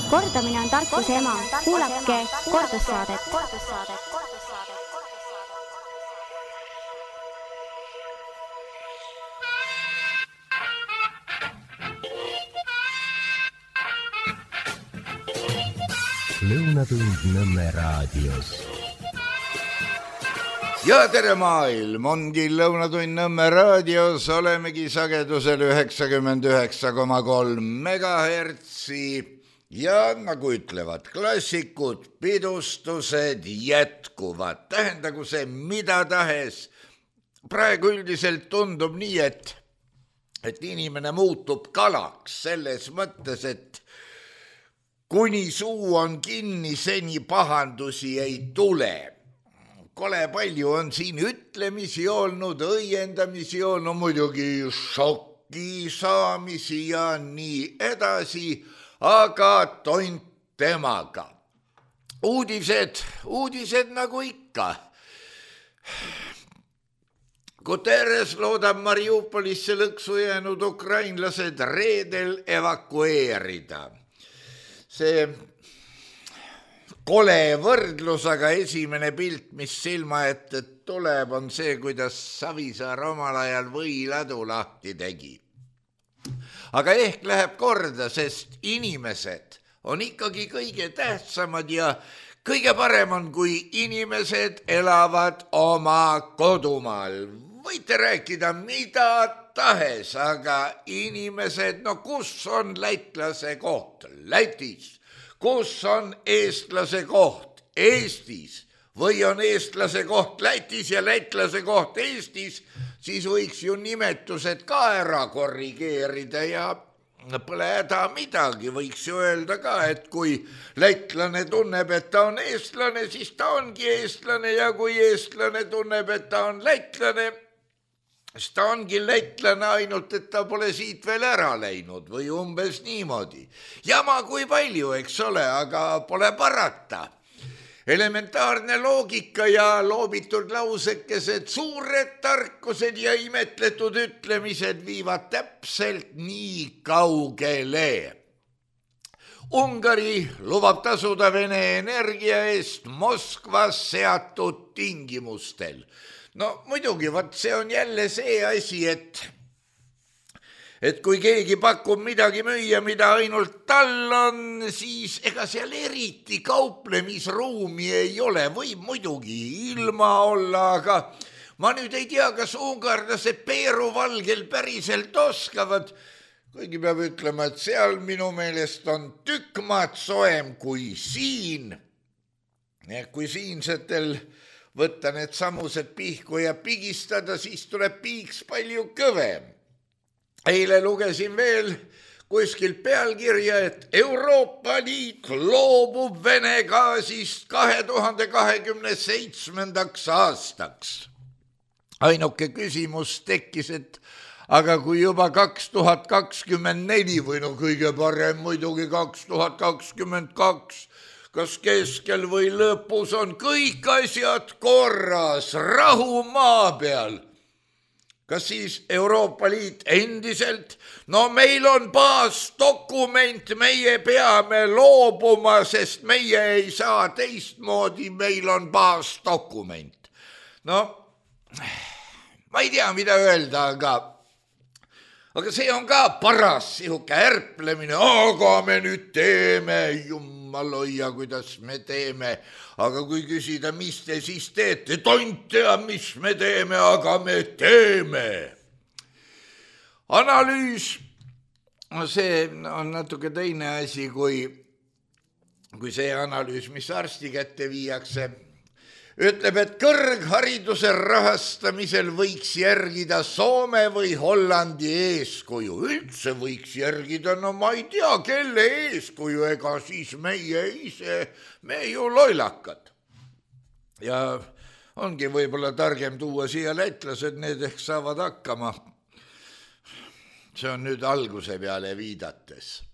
Kordamine on tarkuse ema. Kuulake kordussaadet. Lõunatund Nõmme raadios. Ja tere maailm, ongi Lõunatund Nõmme raadios, olemegi sagedusel 99,3 megahertsi ja nagu ütlevad klassikud, pidustused jätkuvad. Tähendagu see mida tahes. Praegu üldiselt tundub nii, et inimene muutub kalaks selles mõttes, et kuni suu on kinni, seni pahandusi ei tule. Kole palju on siin ütlemisi olnud, õiendamisi on muidugi šokki saamisi ja nii edasi, aga tont temaga. Uudised nagu ikka. Guterres loodab Mariupolisse lõksu jäänud ukrainlased reedel evakueerida. See kole võrdlus, aga esimene pilt, mis silma ette tuleb, on see, kuidas Savisaar omal ajal võiladu lahti tegi. Aga ehk läheb korda, sest inimesed on ikkagi kõige tähtsamad ja kõige parem on, kui inimesed elavad oma kodumaal. Võite rääkida mida tahes, aga inimesed, no kus on lätlase koht? Lätis. Kus on eestlase koht? Eestis. Või on eestlase koht Lätis ja lätlase koht Eestis, siis võiks ju nimetused ka ära korrigeerida ja pole häda midagi. Võiks ju öelda ka, et kui lätlane tunneb, et ta on eestlane, siis ta ongi eestlane ja kui eestlane tunneb, et ta on lätlane, siis ta ongi lätlane, ainult et ta pole siit veel ära läinud või umbes niimoodi. Jama kui palju, eks ole, aga pole parata. Elementaarne loogika ja loobitud lausekesed, suured tarkused ja imetletud ütlemised viivad täpselt nii kaugele. Ungari lubab tasuda Vene energia eest Moskvas seatud tingimustel. No muidugi, see on jälle see asi, et kui keegi pakub midagi müüa, mida ainult tal on, siis ega seal eriti kauplemisruumi ei ole. Võib muidugi ilma olla, aga ma nüüd ei tea, kas ungarlased peeruvalgel päriselt oskavad. Kuigi peab ütlema, et seal minu meelest on tükk maad soem kui siin. Kui siinsetel võtta need samused pihku ja pigistada, siis tuleb piiks palju kõvem. Eile lugesin veel kuskil pealkirja, et Euroopa Liit loobub Vene gaasist 2027. aastaks. Ainuke küsimus tekkis, et aga kui juba 2024 või no kõige parem muidugi 2022, kas keskel või lõpus on kõik asjad korras, rahu maa peal? Kas siis Euroopa Liit endiselt? No meil on baasdokument, meie peame loobuma, sest meie ei saa teistmoodi, meil on baasdokument. No, ma ei tea, mida öelda, aga see on ka paras sihuke ärplemine, aga me nüüd teeme, jummaloia, kuidas me teeme. Aga kui küsida, mis te siis teete, tont tea, mis me teeme, aga me teeme. Analüüs, see on natuke teine asi kui see analüüs, mis arsti kätte viiakse. Ütleb, et kõrghariduse rahastamisel võiks järgida Soome või Hollandi eeskuju. Üldse võiks järgida, no ma ei tea, kelle eeskuju, ega siis meie ise, me ju loilakad. Ja ongi võib-olla targem tuua siia lätlased, need ehk saavad hakkama. See on nüüd alguse peale viidates.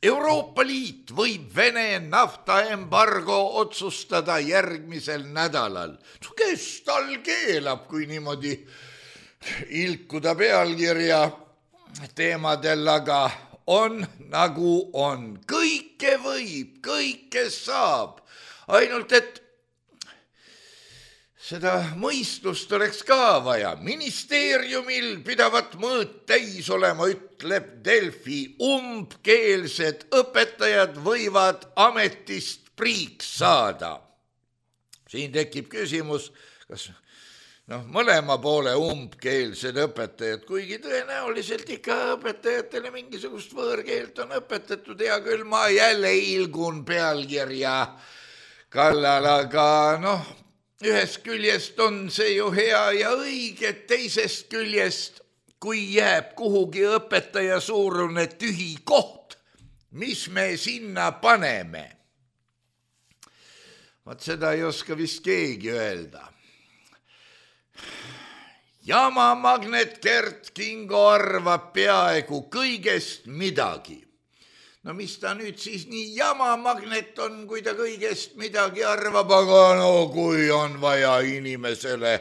Euroopa Liit võib Vene naftaembargo otsustada järgmisel nädalal. Kes tal keelab, kui niimoodi ilkuda pealkirja teemadel, aga on nagu on. Kõik kõike võib, kõike saab. Ainult, et seda mõistust oleks ka vaja. Ministeeriumil pidavat mõõt täis olema, ütleb Delfi. Umbkeelsed õpetajad võivad ametist priiks saada. Siin tekib küsimus, kas mõlema poole umbkeelsed õpetajad, kuigi tõenäoliselt ikka õpetajatele mingisugust võõrkeelt on õpetatud. Hea küll, ma jälle ilgun pealkirja kallal, aga ühest küljest on see ju hea ja õige, teisest küljest, kui jääb kuhugi õpetaja suurune tühi koht, mis me sinna paneme? Vaat seda ei oska vist keegi öelda. Jamamagnet Gert Kingo arvab peaaegu kõigest midagi. Mis ta nüüd siis nii jamamagnet on, kui ta kõigest midagi arvab, aga kui on vaja inimesele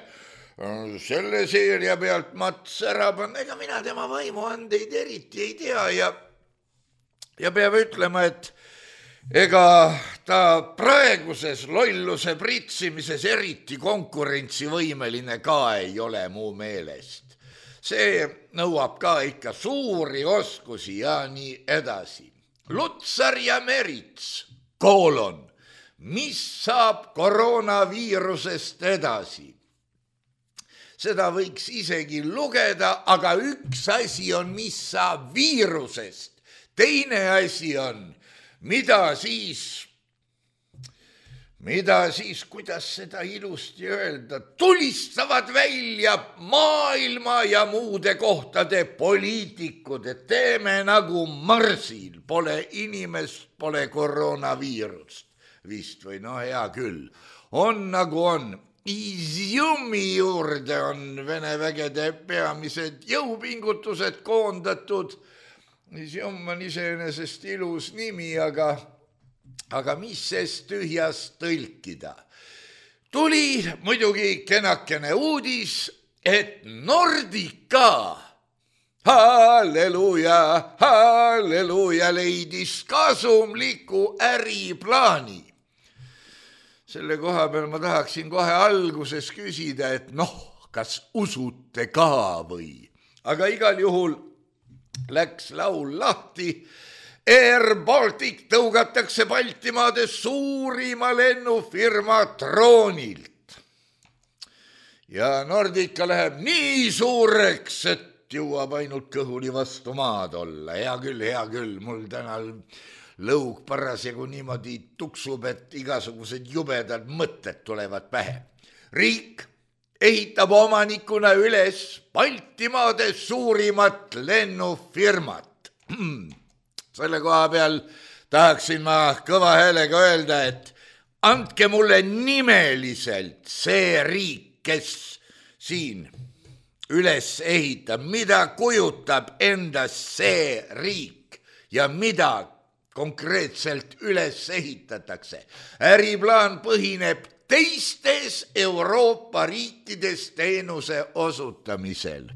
selle seeria pealt mats ära panna, ega mina tema võimuandeid eriti ei tea ja peab ütlema, et ega ta praeguses lolluse pritsimises eriti konkurentsivõimeline ka ei ole mu meelest. See nõuab ka ikka suuri oskusi ja nii edasi. Lutsar ja Merits, mis saab koroonaviirusest edasi? Seda võiks isegi lugeda, aga üks asi on, mis saab viirusest. Teine asi on, mida siis, kuidas seda ilusti öelda, tulistavad välja maailma ja muude kohtade poliitikud, et teeme nagu Marsil, pole inimest, pole koroonaviirust. Vist või hea küll, on nagu on. Izjumi juurde on Vene vägede peamised jõupingutused koondatud. Izjum on iseenesest ilus nimi, aga mis sest tühjast tõlkida? Tuli muidugi kenakene uudis, et Nordica, halleluuja, leidis kasumliku äriplaani. Selle koha peal ma tahaksin kohe alguses küsida, et kas usute ka või? Aga igal juhul läks laul lahti. Air Baltic tõugatakse Baltimaade suurima lennufirma troonilt. Ja Nordica läheb nii suureks, et jõuab ainult kõhuli vastu maad olla. Hea küll, mul täna lõug parasjagu niimoodi tuksub, et igasugused jubedad mõtted tulevad pähe. Riik ehitab omanikuna üles Baltimaade suurimat lennufirmat. Selle koha peal tahaksin ma kõva häälega öelda, et andke mulle nimeliselt see riik, kes siin üles ehitab, mida kujutab endast see riik ja mida konkreetselt üles ehitatakse. Äriplaan põhineb teistes Euroopa riikides teenuse osutamisel.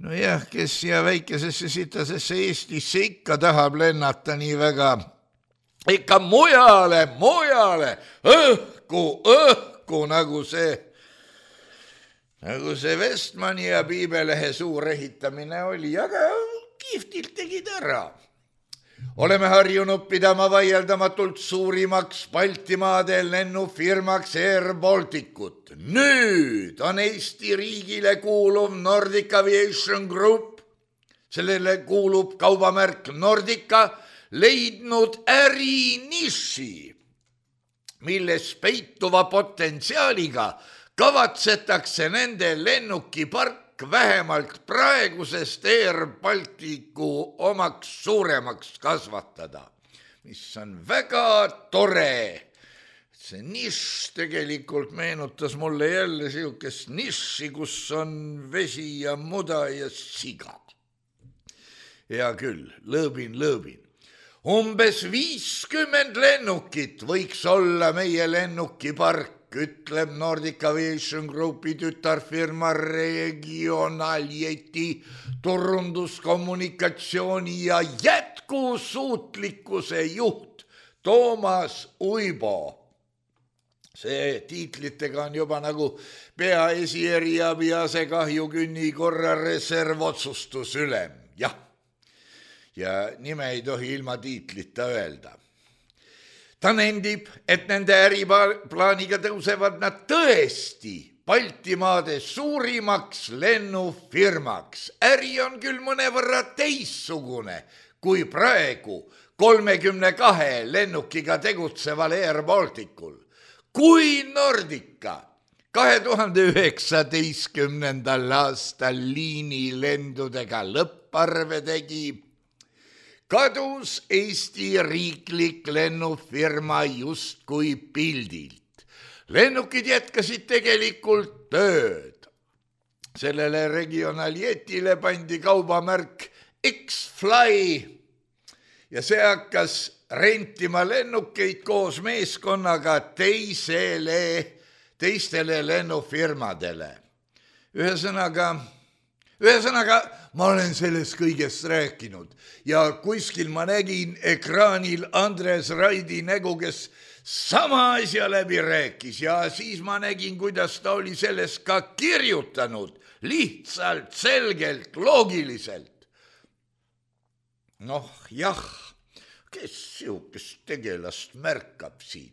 Jah, kes siia väikesesse sitasesse Eestisse ikka tahab lennata nii väga, ikka mujale, õhku, nagu see Vestmani ja Piibelehe suur ehitamine oli, aga kihvtilt tegid ära. Oleme harjunud pidama vaieldamatult suurimaks Baltimaade lennufirmaks Air Balticut. Nüüd on Eesti riigile kuuluv Nordic Aviation Group, sellele kuulub kaubamärk Nordica, leidnud äriniši, milles peituva potentsiaaliga kavatsetakse nende lennukipark vähemalt praegusest Air Balticu omaks suuremaks kasvatada, mis on väga tore. See nišš tegelikult meenutas mulle jälle siukest nišši, kus on vesi ja muda ja siga. Hea küll, lõõbin. Umbes 50 lennukit võiks olla meie lennukipark, ütleb Nordic Aviation Groupi tütarfirma Regionaljeti turunduskommunikatsiooni ja jätkusuutlikkuse juht Toomas Uibo. See tiitlitega on juba nagu peaesieriabi asekahjukünni korra reservotsustusülem. Jah, ja nime ei tohi ilma tiitlita öelda. Ta nendib, et nende äriplaaniga tõusevad nad tõesti Baltimaade suurimaks lennufirmaks. Äri on küll mõnevõrra teissugune kui praegu 32 lennukiga tegutseval Air Balticul. Kui Nordica 2019. aastal liinilendudega lõpparve tegi, kadus Eesti riiklik lennufirma justkui pildilt. Lennukid jätkasid tegelikult tööd. Sellele regionaljetile pandi kaubamärk X-Fly ja see hakkas rentima lennukeid koos meeskonnaga teistele lennufirmadele. Ühesõnaga, ma olen sellest kõigest rääkinud ja kuskil ma nägin ekraanil Andres Raidi nägu, kes sama asja läbi rääkis ja siis ma nägin, kuidas ta oli sellest ka kirjutanud, lihtsalt, selgelt, loogiliselt. Noh, jah, kes sihukest tegelast märkab siin?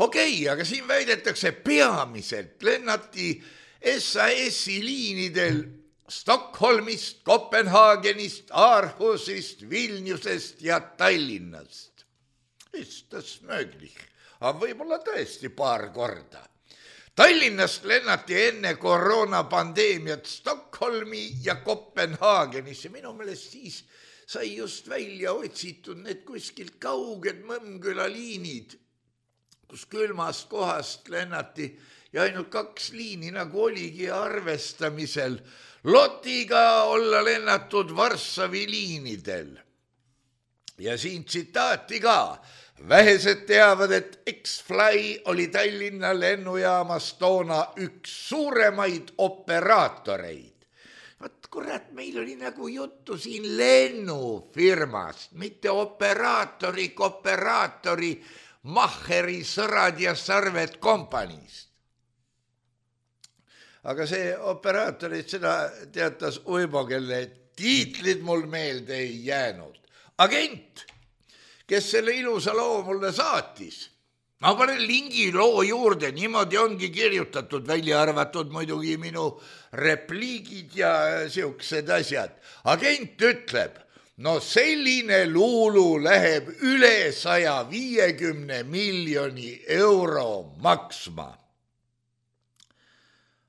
Okei, aga siin väidetakse peamiselt lennati SAS-i liinidel Stockholmist, Kopenhaagenist, Aarhusist, Vilniusest ja Tallinnast. Istas mööglich, aga võib-olla tõesti paar korda. Tallinnast lennati enne koroonapandeemiat Stockholmi ja Kopenhaagenisse. Minu meelest siis sai just välja otsitud need kuskilt kauged Mõmmküla liinid, kus külmast kohast lennati ja ainult 2 liini nagu oligi arvestamisel. Lotiga olla lennatud Varssavi liinidel. Ja siin tsitaati ka. Vähesed teavad, et X-Fly oli Tallinna lennujaamas toona üks suuremaid operaatoreid. Vaat kurat, meil oli nagu juttu siin lennufirmast, mitte operaatori, Mahheri, Sõrad ja Sarved kompaniist. Aga see operaatorid, seda teatas Uibo, kelle tiitlid mul meelde ei jäänud. Agent, kes selle ilusa loo mulle saatis. Ma panen lingi loo juurde, niimoodi ongi kirjutatud, välja arvatud muidugi minu repliigid ja siuksed asjad. Agent ütleb, no selline luulu läheb üle 150 miljoni euro maksma.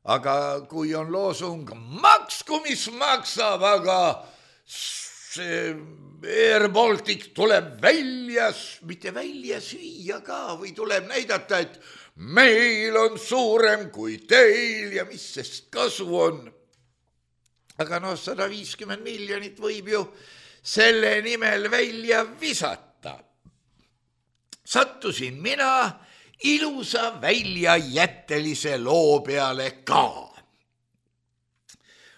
Aga kui on loosung, maksku mis maksab, aga see Air Baltic tuleb mitte välja süüa ka või tuleb näidata, et meil on suurem kui teil ja mis sest kasu on. Aga 150 miljonit võib ju selle nimel välja visata. Sattusin mina ilusa väljajättelise loo peale ka.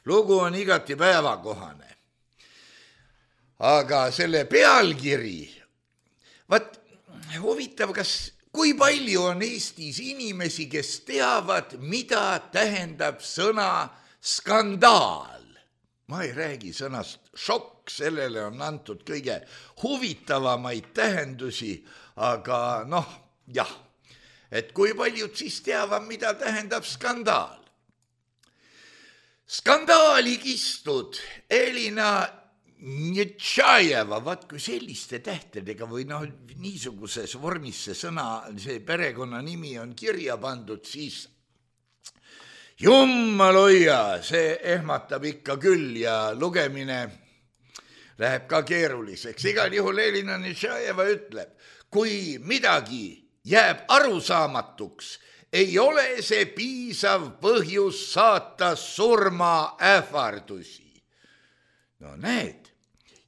Lugu on igati päevakohane. Aga selle pealkiri, vaat huvitav, kui palju on Eestis inimesi, kes teavad, mida tähendab sõna skandaal. Ma ei räägi sõnast šokk, sellele on antud kõige huvitavamaid tähendusi, aga jah, et kui paljud siis teavad, mida tähendab skandaal. Skandaali kistud Elina Nitšajeva, vaat kui selliste tähtedega või niisuguses vormis see sõna, see perekonna nimi on kirja pandud, siis jummal hoia, see ehmatab ikka küll ja lugemine läheb ka keeruliseks. Igal juhul Elina Nitšajeva ütleb, kui midagi jääb arusaamatuks, ei ole see piisav põhjus saata surmaähvardusi. No näed,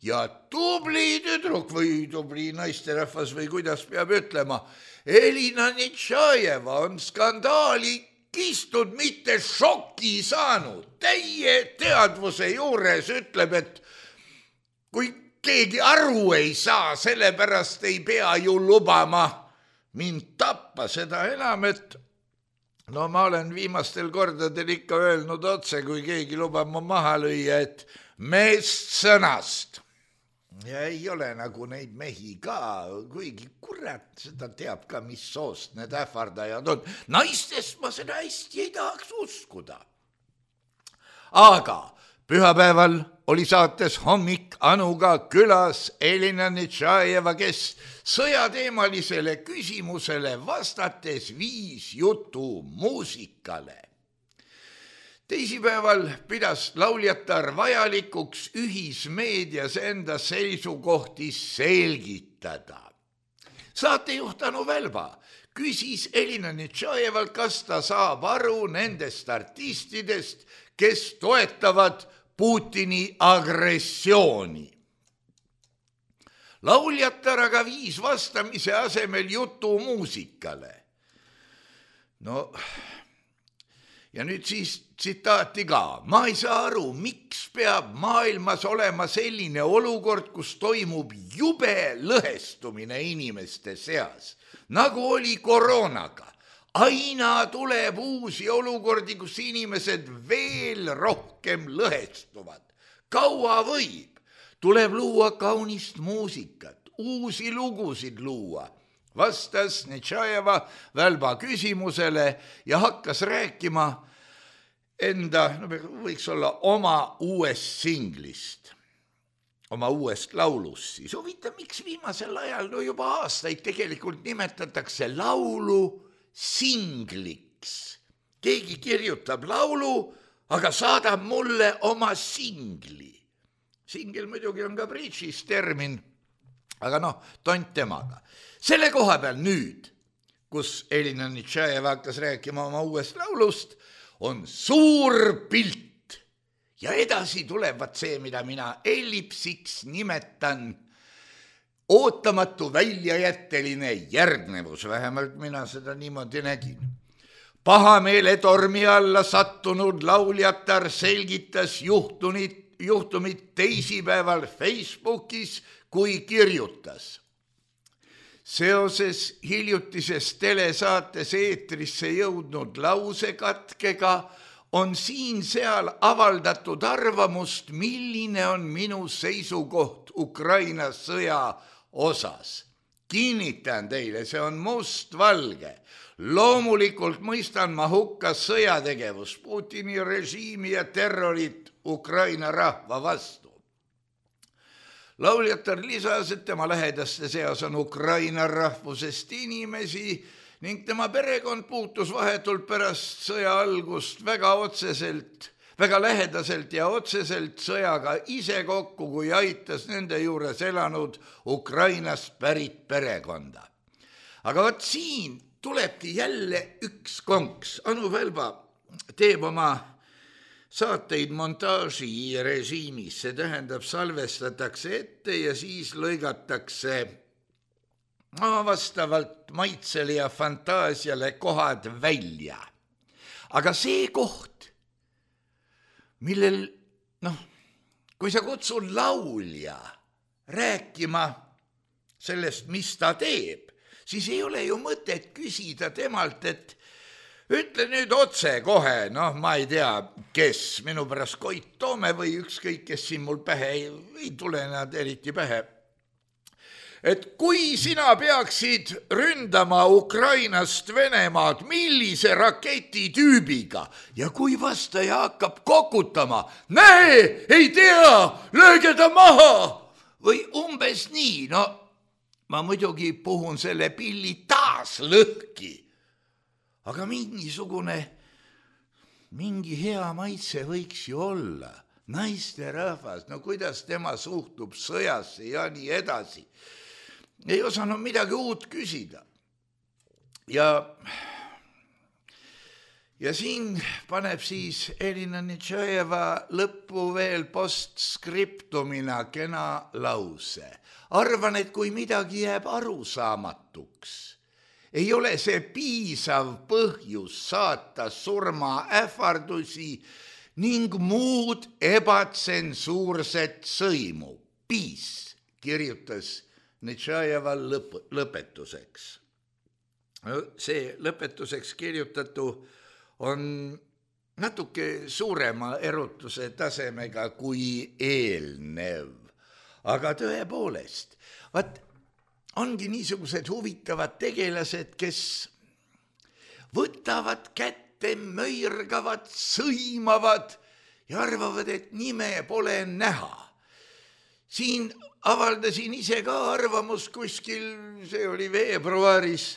ja tubli tüdruk või tubli naisterahvas või kuidas peab ütlema, Elina Nitšajeva on skandaali kistud, mitte šoki saanud. Täie teadvuse juures ütleb, et kui keegi aru ei saa, sellepärast ei pea ju lubama mind tappa, seda enam, et no ma olen viimastel kordadel ikka öelnud otse, kui keegi lubab mu maha lüüa, et meest sõnast. Ja ei ole nagu neid mehi ka, kuigi kurat seda teab ka, mis soost need ähvardajad on. Naistest ma seda hästi ei tahaks uskuda. Aga pühapäeval oli saates Hommik Anuga külas Elina Nitšajeva, kes sõjateemalisele küsimusele vastates viis jutu muusikale. Teisipäeval pidas lauljatar vajalikuks ühismeedias enda seisukohti selgitada. Saatejuht Anu Välba küsis Elina Nitšajevalt, kas ta saab aru nendest artistidest, kes toetavad Putini agressiooni. Lauljatar aga viis vastamise asemel jutu muusikale. No, ja nüüd siis tsitaati ka. Ma ei saa aru, miks peab maailmas olema selline olukord, kus toimub jube lõhestumine inimeste seas, nagu oli koroonaga. Aina tuleb uusi olukordi, kus inimesed veel rohkem lõhestuvad. Kaua võib? Tuleb luua kaunist muusikat, uusi lugusid luua. Vastas Nitšajeva Välba küsimusele ja hakkas rääkima enda, võiks olla oma uuest singlist, oma uuest laulust. Siis huvitav, miks viimasel ajal, no juba aastaid tegelikult nimetatakse laulu singliks. Keegi kirjutab laulu, aga saadab mulle oma singli. Singel muidugi on ka bridžis termin, aga noh, tont temaga. Selle koha peal nüüd, kus Elina Nitšajeva hakkas rääkima oma uuest laulust, on suur pilt ja edasi tulevad see, mida mina ellipsiks nimetan ootamatu väljajätteline järgnevus, vähemalt mina seda niimoodi nägin. Pahameele tormi alla sattunud lauljatar selgitas juhtumit teisipäeval Facebookis, kui kirjutas. Seoses hiljutises telesaates eetrisse jõudnud lausekatkega on siin-seal avaldatud arvamust, milline on minu seisukoht Ukraina sõja osas. Kinnitan teile, see on mustvalge. Loomulikult mõistan ma hukka sõjategevust, Putini režiimi ja terrorit Ukraina rahva vastu. Lauljatar lisas, et tema lähedaste seas on Ukraina rahvusest inimesi ning tema perekond puutus vahetult pärast sõja algust väga lähedaselt ja otseselt sõjaga ise kokku, kui aitas nende juures elanud Ukrainast pärit perekonda. Aga võt siin tulebki jälle üks konks. Anu Välba teeb oma saateid montaaži režiimis, see tähendab, salvestatakse ette ja siis lõigatakse vastavalt maitsele ja fantaasiale kohad välja. Aga see koht, millel, kui sa kutsud laulja rääkima sellest, mis ta teeb, siis ei ole ju mõtet küsida temalt, et ütle nüüd otse kohe, ma ei tea, kes, minu pärast Koit Toome või ükskõik, kes siin mul pähe ei tule nad eriti pähe. Et kui sina peaksid ründama Ukrainast Venemaad, millise raketitüübiga ja kui vastaja hakkab kokutama, näe, ei tea, lööge ta maha või umbes nii, ma muidugi puhun selle pilli taas lõhki. Aga mingi hea maitse võiks ju olla. Naisterahvas, kuidas tema suhtub sõjasse ja nii edasi. Ei osanud midagi uut küsida. Ja siin paneb siis Elina Nitšajeva lõppu veel postskriptumina kena lause. Arvan, et kui midagi jääb arusaamatuks, ei ole see piisav põhjus saata surmaähvardusi ning muud ebatsensuurset sõimu. Peace. kirjutas Netšajeva lõpetuseks. See lõpetuseks kirjutatu on natuke suurema erutuse tasemega kui eelnev. Aga tõepoolest, ongi niisugused huvitavad tegelased, kes võtavad kätte, möirgavad, sõimavad ja arvavad, et nime pole näha. Siin avaldasin ise ka arvamus kuskil, see oli veebruaris,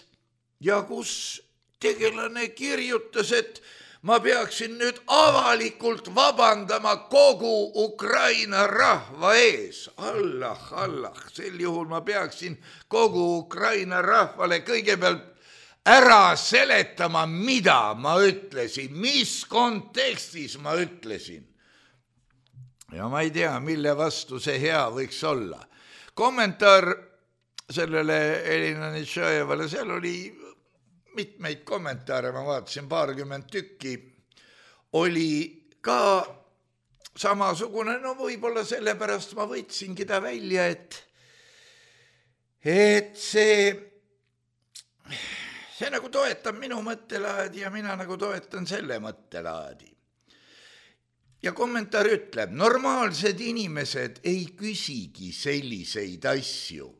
ja kus tegelane kirjutas, et ma peaksin nüüd avalikult vabandama kogu Ukraina rahva ees. Allah, sel juhul ma peaksin kogu Ukraina rahvale kõigepealt ära seletama, mida ma ütlesin, mis kontekstis ma ütlesin. Ja ma ei tea, mille vastu see hea võiks olla. Kommentaar sellele Elina Netšajevale, seal oli mitmeid kommentaare, ma vaatasin 20 tükki, oli ka samasugune, no võib-olla sellepärast ma võtsingi ta välja, et see nagu toetab minu mõttelaadi ja mina nagu toetan selle mõttelaadi. Ja kommentaar ütleb, normaalsed inimesed ei küsigi selliseid asju.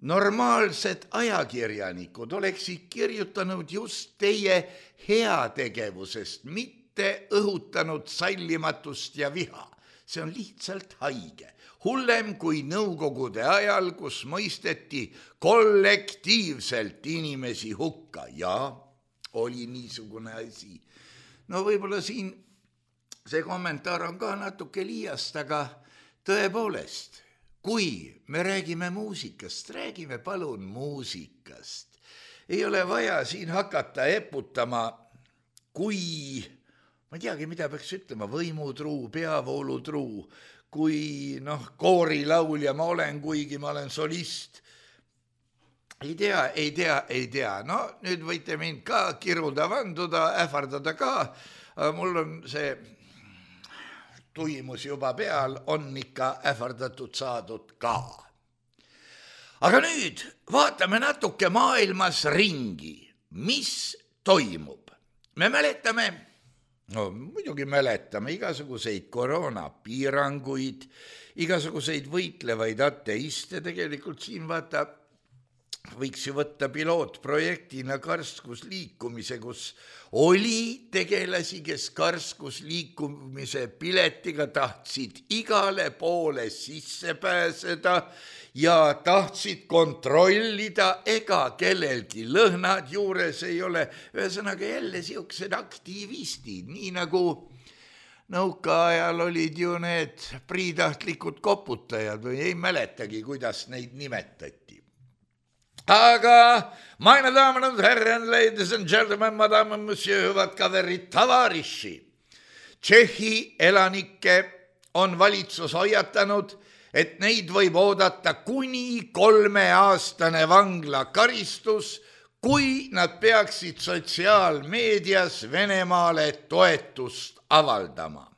Normaalsed ajakirjanikud oleksid kirjutanud just teie heategevusest, mitte õhutanud sallimatust ja viha. See on lihtsalt haige. Hullem kui nõukogude ajal, kus mõisteti kollektiivselt inimesi hukka. Ja oli niisugune asi. No võib-olla siin see kommentaar on ka natuke liiast, aga tõepoolest, kui me räägime muusikast, räägime palun muusikast. Ei ole vaja siin hakata eputama, kui, ma ei teagi, mida peaks ütlema, võimutruu, peavoolutruu, kui koorilaulja ma olen, kuigi ma olen solist. Ei tea. No nüüd võite mind ka kiruda, vanduda, ähvardada ka. Mul on see tuimus juba peal, on ikka ähvardatud saadud ka. Aga nüüd vaatame natuke maailmas ringi, mis toimub. Me mäletame, muidugi mäletame igasuguseid koroonapiiranguid, igasuguseid võitlevaid ateiste, tegelikult siin vaata, võiks ju võtta pilootprojektina karskusliikumise, kus oli tegelasi, kes karskusliikumise piletiga tahtsid igale poole sisse pääseda ja tahtsid kontrollida, ega kellelgi lõhnad juures ei ole. Ühesõnaga jälle siuksed aktivistid, nii nagu nõukaajal olid ju need priitahtlikud koputajad või ei mäletagi, kuidas neid nimetati. Aga, meine Damen und Herren, ladies and gentlemen, madame, monsieur, hüvad kaverid, tavariši. Tšehhi elanikke on valitsus hoiatanud, et neid võib oodata kuni 3-aastane vanglakaristus, kui nad peaksid sotsiaalmeedias Venemaale toetust avaldama.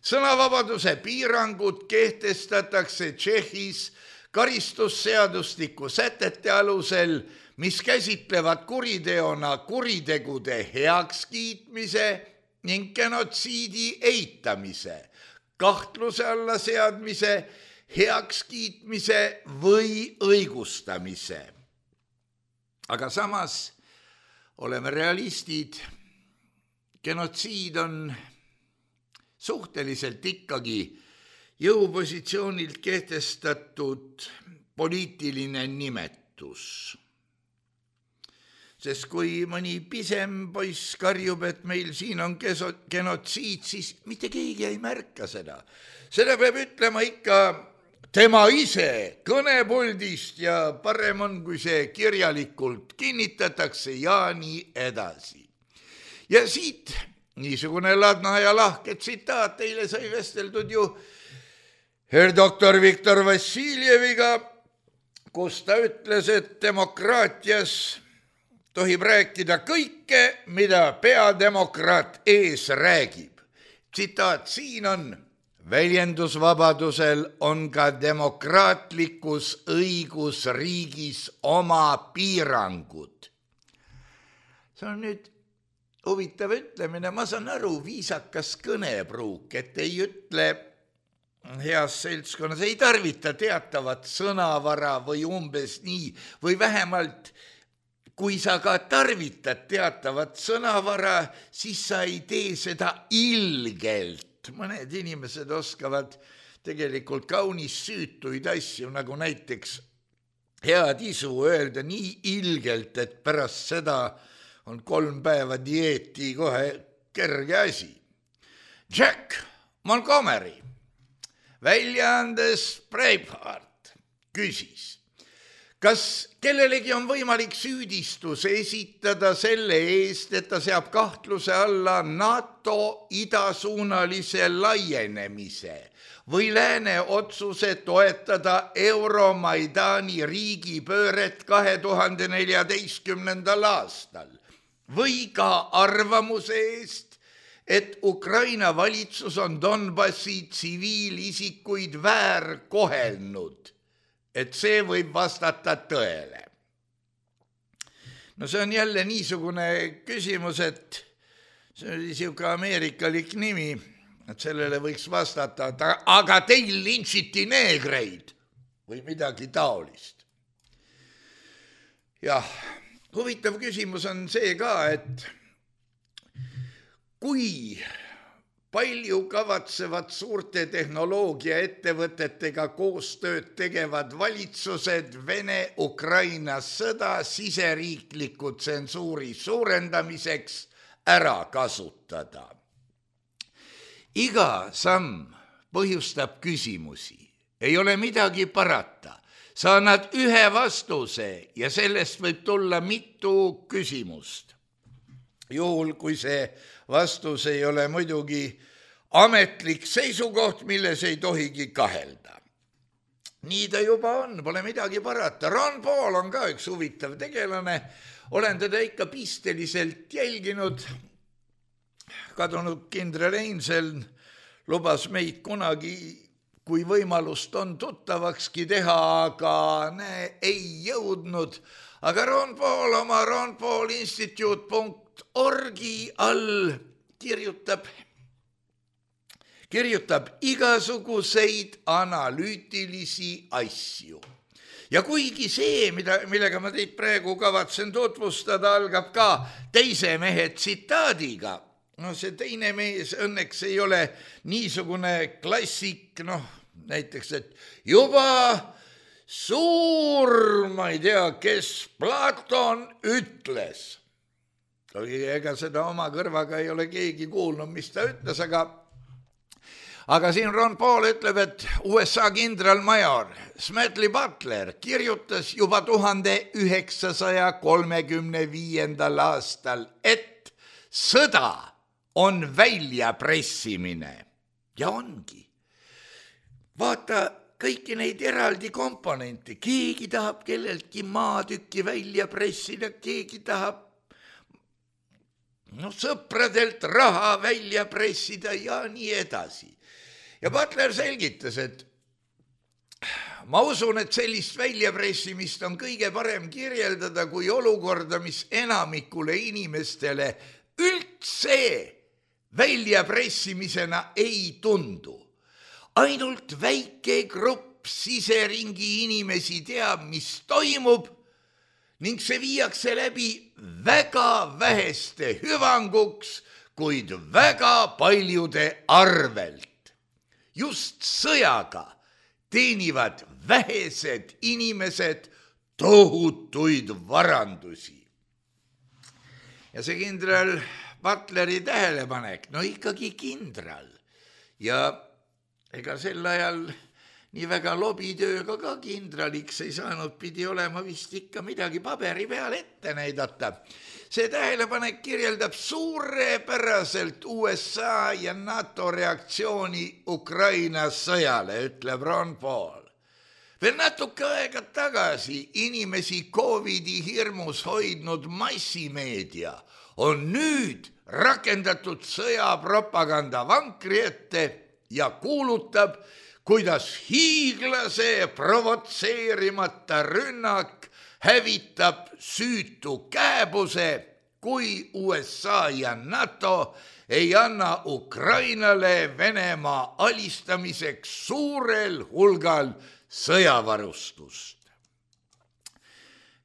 Sõnavabaduse piirangud kehtestatakse Tšehhis karistusseadustiku sätete alusel, mis käsitlevad kuriteona kuritegude heakskiitmise ning genotsiidi eitamise, kahtluse alla seadmise, heakskiitmise või õigustamise. Aga samas oleme realistid, genotsiid on suhteliselt ikkagi jõupositsioonilt kehtestatud poliitiline nimetus. Sest kui mõni pisem poiss karjub, et meil siin on genotsiid, siis mitte keegi ei märka seda. Seda peab ütlema ikka tema ise kõnepuldist ja parem on, kui see kirjalikult kinnitatakse ja nii edasi. Ja siit niisugune ladna ja lahke tsitaat, teile sai vesteldud ju doktor Viktor Vassiljeviga, kus ta ütles, et demokraatias tohib rääkida kõike, mida peademokraat ees räägib. Tsitaat siin on: väljendusvabadusel on ka demokraatlikus õigusriigis oma piirangud. See on nüüd huvitav ütlemine, ma saan aru, viisakas kõnepruuk, et ei ütle heas seltskonnas, ei tarvita teatavat sõnavara või umbes nii, või vähemalt kui sa ka tarvitad teatavat sõnavara, siis sa ei tee seda ilgelt. Mõned inimesed oskavad tegelikult kaunis süütuid asju, nagu näiteks head isu öelda nii ilgelt, et pärast seda on 3 päeva dieeti kohe kerge asi. Jack Montgomery, väljaandes Braveheart, küsis, kas kellelegi on võimalik süüdistus esitada selle eest, et ta seab kahtluse alla NATO idasuunalise laienemise või lääne otsuse toetada Euromaidani riigipööret 2014. aastal või ka arvamuse eest, et Ukraina valitsus on Donbassi tsiviilisikuid väärkohelnud, et see võib vastata tõele. No see on jälle niisugune küsimus, et see oli siuke ameerikalik nimi, et sellele võiks vastata, aga teil lintšiti neegreid või midagi taolist. Jah, huvitav küsimus on see ka, et kui palju kavatsevad suurte tehnoloogiaettevõtetega koostööd tegevad valitsused Vene-Ukraina sõda siseriikliku tsensuuri suurendamiseks ära kasutada. Iga samm põhjustab küsimusi, ei ole midagi parata. Sa annad ühe vastuse ja sellest võib tulla mitu küsimust. Juhul, kui see vastus ei ole muidugi ametlik seisukoht, milles ei tohigi kahelda. Nii ta juba on, pole midagi parata. Ron Paul on ka üks huvitav tegelane, olen teda ikka pisteliselt jälginud. Kadunud kindral Einseln lubas meid kunagi, kui võimalust on tuttavakski teha, aga ei jõudnud. Aga Ron Paul oma ronpaulinstitute.org all kirjutab igasuguseid analüütilisi asju. Ja kuigi see, millega ma teid praegu kavatsen tutvustada, algab ka teise mehe tsitaadiga. No see teine mees õnneks ei ole niisugune klassik, näiteks, et juba suur, ma ei tea, kes Platon ütles. Ega seda oma kõrvaga ei ole keegi kuulnud, mis ta ütles, aga siin Ron Paul ütleb, et USA kindralmajor Smedley Butler kirjutas juba 1935. aastal, et sõda on väljapressimine. Ja ongi. Vaata kõiki neid eraldi komponente. Keegi tahab kelleltki maatükki välja pressida, keegi tahab sõpradelt raha välja pressida ja nii edasi. Ja Butler selgitas, et ma usun, et sellist väljapressimist on kõige parem kirjeldada kui olukorda, mis enamikule inimestele üldse väljapressimisena ei tundu. Ainult väike grupp siseringi inimesi teab, mis toimub ning see viiakse läbi väga väheste hüvanguks, kuid väga paljude arvelt. Just sõjaga teenivad vähesed inimesed tohutuid varandusi. Ja see kindral Butleri tähelepanek, ikkagi kindral. Ja ega sel ajal nii väga lobitööga ka kindraliks ei saanud, pidi olema vist ikka midagi paberi peal ette näidata. See tähelepanek kirjeldab suurepäraselt USA ja NATO reaktsiooni Ukraina sõjale, ütleb Ron Paul. Veel natuke aega tagasi inimesi COVID-i hirmus hoidnud massimeedia on nüüd rakendatud sõjapropaganda vankri ette ja kuulutab, kuidas hiiglase provotseerimata rünnak hävitab süütu kääbuse, kui USA ja NATO ei anna Ukrainale Venemaa alistamiseks suurel hulgal sõjavarustust.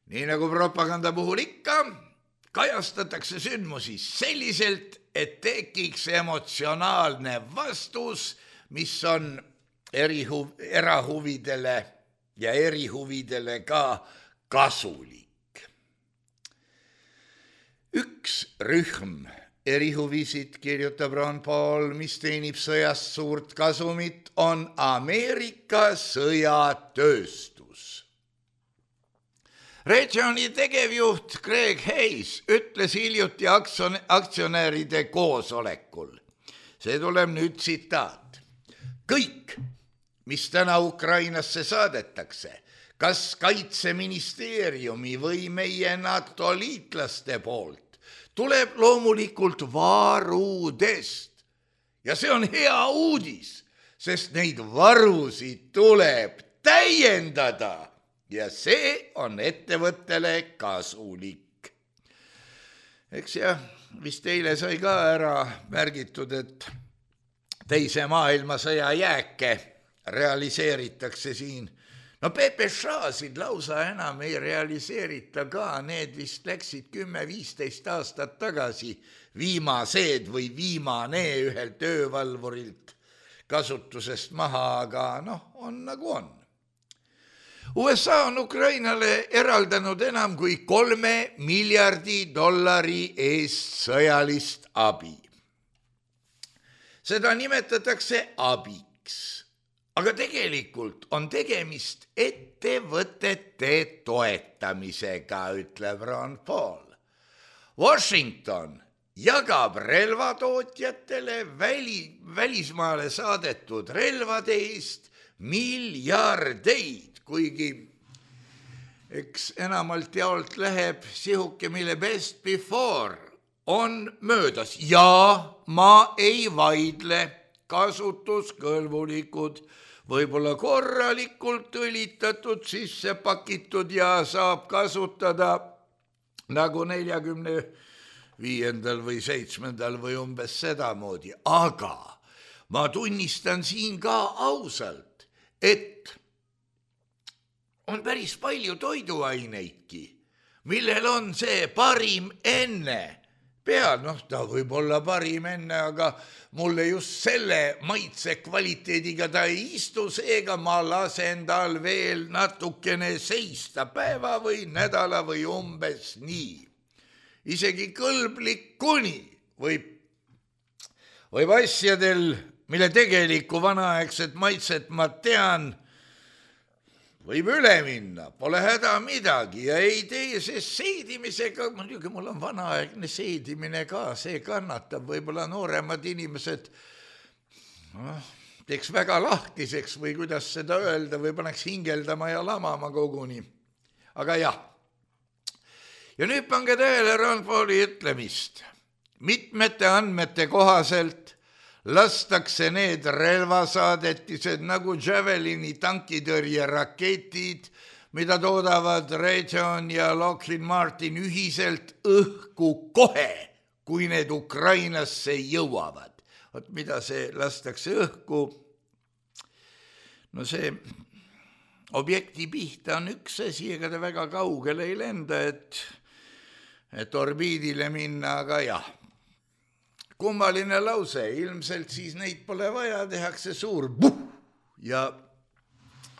Nii nagu propaganda puhul ikka, kajastatakse sündmusi selliselt, et tekiks emotsionaalne vastus, mis on erahuvidele ja erihuvidele ka kasulik. Üks rühm erihuvisid, kirjutab Ron Paul, mis teenib sõjast suurt kasumit, on Ameerika sõjatööstus. Regioni tegevjuht Greg Hayes ütles hiljuti aktsionäride koosolekul. See tuleb nüüd tsitaat. Kõik, mis täna Ukrainasse saadetakse, kas kaitseministeeriumi või meie NATO liitlaste poolt, tuleb loomulikult varudest. Ja see on hea uudis, sest neid varusid tuleb täiendada. Ja see on ettevõttele kasulik. Eks jah, vist eile sai ka ära märgitud, et teise maailmasõja jääke realiseeritakse siin. No PPŠ-sid lausa enam ei realiseerita ka, need vist läksid 10-15 aastat tagasi viimased või viimane ühelt öövalvurilt kasutusest maha, aga on nagu on. USA on Ukrainale eraldanud enam kui $3 miljardi eest sõjalist abi. Seda nimetatakse abiks, aga tegelikult on tegemist ettevõtete toetamisega, ütleb Ron Paul. Washington jagab relvatootjatele välismaale saadetud relvade eest miljardeid, kuigi eks enamalt jaolt läheb sihuke, mille best before on möödas. Ja ma ei vaidle, kasutuskõlbulikud, võib-olla korralikult õlitatud, sisse pakitud ja saab kasutada nagu 45. või 7. või umbes sedamoodi. Aga ma tunnistan siin ka ausalt, et on päris palju toiduaineidki, millel on see parim enne peal. Ta võib olla parim enne, aga mulle just selle maitse kvaliteediga ta ei istu, seega ma lasen tal veel natukene seista päeva või nädala või umbes nii. Isegi kõlblik kuni võib asjadel, mille tegelikku vanaaegset maitset ma tean, võib üle minna, pole häda midagi ja ei tee see seedimisega, muidugi mul on vanaaegne seedimine ka, see kannatab, võib-olla nooremad inimesed teeks väga lahtiseks või kuidas seda öelda, või paneks hingeldama ja lamama koguni. Aga jah. Ja nüüd pange tähele Ron Pauli ütlemist. Mitmete andmete kohaselt lastakse need relvasaadetised nagu Javelini tankitõrjeraketid, mida toodavad Raytheon ja Lockheed Martin ühiselt õhku kohe, kui need Ukrainasse jõuavad. Vot mida see lastakse õhku? No see objekti pihta on üks asi, ega ta väga kaugele ei lenda, et orbiidile minna, aga jah. Kummaline lause, ilmselt siis neid pole vaja, tehakse suur puh ja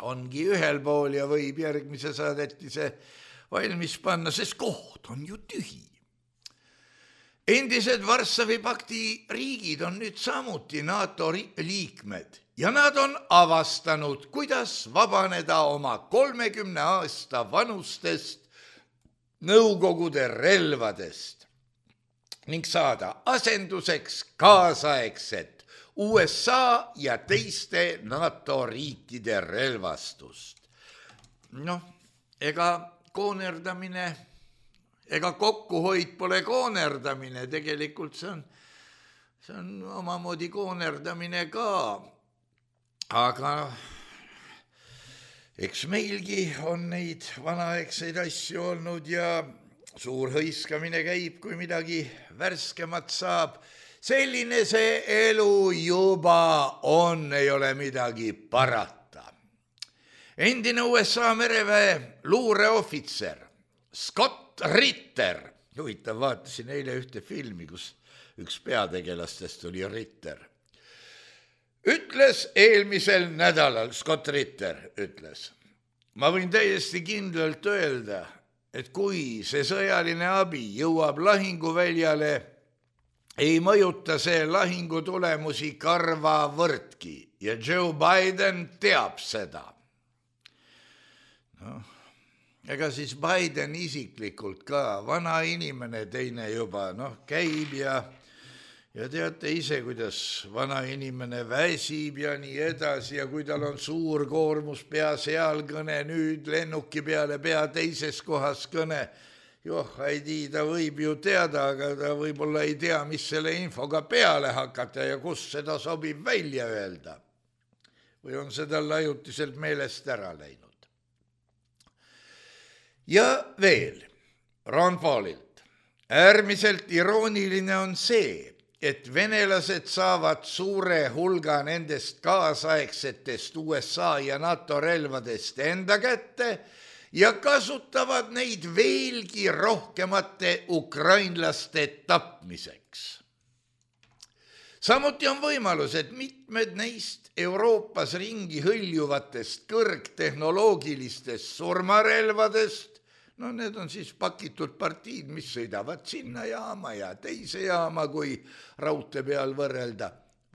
ongi ühel pool ja võib järgmise saadetise valmis panna, sest koht on ju tühi. Endised Varssavi pakti riigid on nüüd samuti NATO liikmed ja nad on avastanud, kuidas vabaneda oma 30 aasta vanustest Nõukogude relvadest ning saada asenduseks kaasaegset USA ja teiste NATO riikide relvastust. Ega koonerdamine, ega kokkuhoid pole koonerdamine, tegelikult see on omamoodi koonerdamine ka, aga eks meilgi on neid vanaegseid asju olnud ja suur hõiskamine käib, kui midagi värskemat saab. Selline see elu juba on, ei ole midagi parata. Endine USA mereväe luureohvitser Scott Ritter, huvitav, vaatasin eile ühte filmi, kus üks peategelastest oli Ritter, ütles eelmisel nädalal, Scott Ritter ütles, ma võin täiesti kindlalt öelda, et kui see sõjaline abi jõuab lahinguväljale, ei mõjuta see lahingu tulemusi karvavõrdki ja Joe Biden teab seda. Ega siis Biden isiklikult ka, vana inimene teine juba, käib ja teate ise, kuidas vana inimene väsib ja nii edasi ja kui tal on suur koormus pea seal kõne, nüüd lennuki peale pea teises kohas kõne, ei tii, ta võib ju teada, aga ta võib-olla ei tea, mis selle infoga peale hakata ja kus seda sobib välja öelda. Või on seda ajutiselt meelest ära läinud. Ja veel, Ron Paulilt. Äärmiselt irooniline on see, et venelased saavad suure hulga nendest kaasaegsetest USA ja NATO relvadest enda kätte ja kasutavad neid veelgi rohkemate ukrainlaste tapmiseks. Samuti on võimalus, et mitmed neist Euroopas ringi hõljuvatest kõrgtehnoloogilistest surmarelvadest, need on siis pakitud partiid, mis sõidavad sinna jaama ja teise jaama, kui raudtee peal võrrelda,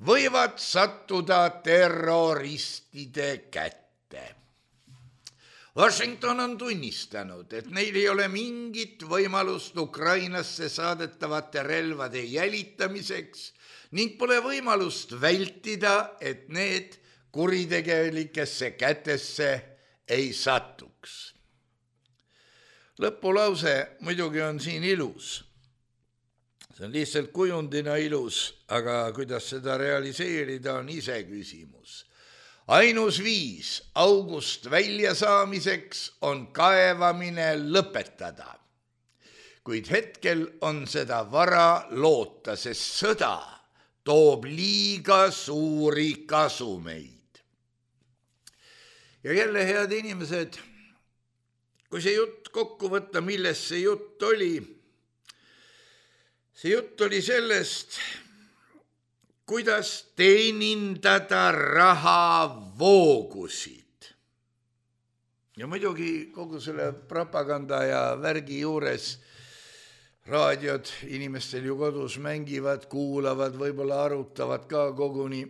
võivad sattuda terroristide kätte. Washington on tunnistanud, et neil ei ole mingit võimalust Ukrainasse saadetavate relvade jälitamiseks ning pole võimalust vältida, et need kuritegelikesse kätesse ei satuks. Lõpulause muidugi on siin ilus. See on lihtsalt kujundina ilus, aga kuidas seda realiseerida on ise küsimus. Ainus viis august välja saamiseks on kaevamine lõpetada. Kuid hetkel on seda vara loota, sest sõda toob liiga suuri kasumeid. Ja jälle, head inimesed, kui see jutt kokku võtta, millest see jutt oli? See jutt oli sellest, kuidas teenindada rahavoogusid. Ja muidugi kogu selle propaganda ja värgi juures raadiod inimestel ju kodus mängivad, kuulavad, võib-olla arutavad ka koguni.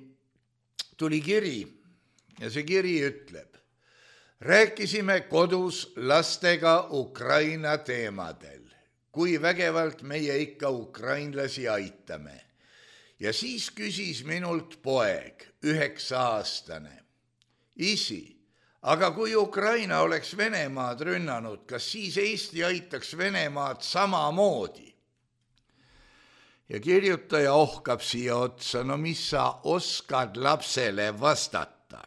Tuli kiri ja see kiri ütleb, rääkisime kodus lastega Ukraina teemadel, kui vägevalt meie ikka ukrainlasi aitame. Ja siis küsis minult poeg, 9-aastane. Isi, aga kui Ukraina oleks Venemaad rünnanud, kas siis Eesti aitaks Venemaad samamoodi? Ja kirjutaja ohkab siia otsa, mis sa oskad lapsele vastata?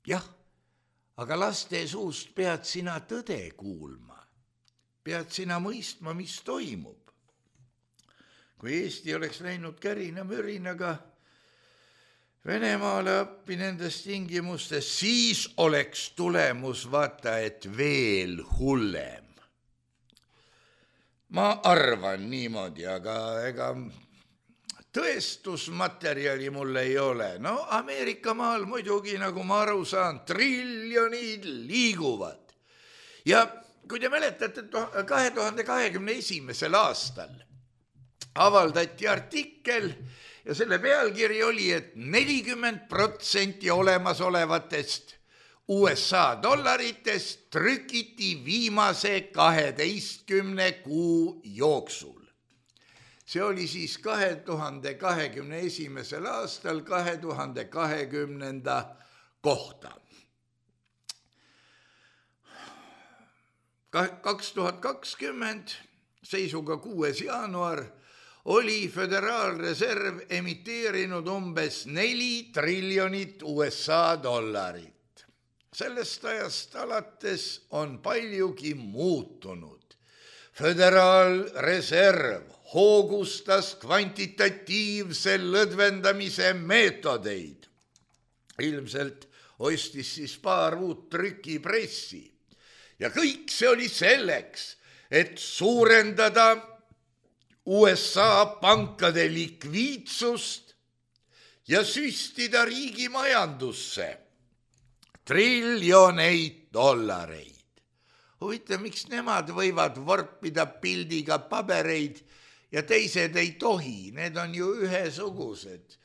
Jah, aga laste suust pead sina tõde kuulma. Pead sina mõistma, mis toimub. Kui Eesti oleks läinud kärina-mürinaga Venemaale appi nendes tingimustes, siis oleks tulemus vaata, et veel hullem. Ma arvan niimoodi, aga ega tõestusmaterjali mul ei ole. Ameerika maal muidugi, nagu ma aru saan, triljonid liiguvad. Ja kui te mäletate, 2021. aastal avaldati artikkel ja selle pealkiri oli, et 40% olemasolevatest USA dollaritest trükiti viimase 12 kuu jooksul. See oli siis 2021. aastal 2020. kohta. 2020 seisuga 6. jaanuar oli Föderaalreserv emiteerinud umbes 4 triljonit USA dollarit. Sellest ajast alates on paljugi muutunud. Föderaalreserv hoogustas kvantitatiivse lõdvendamise meetodeid. Ilmselt ostis siis paar uut trükipressi. Ja kõik see oli selleks, et suurendada USA pankade likviidsust ja süstida riigi majandusse triljoneid dollareid. Huvitav, miks nemad võivad vorpida pildiga pabereid ja teised ei tohi, need on ju ühesugused.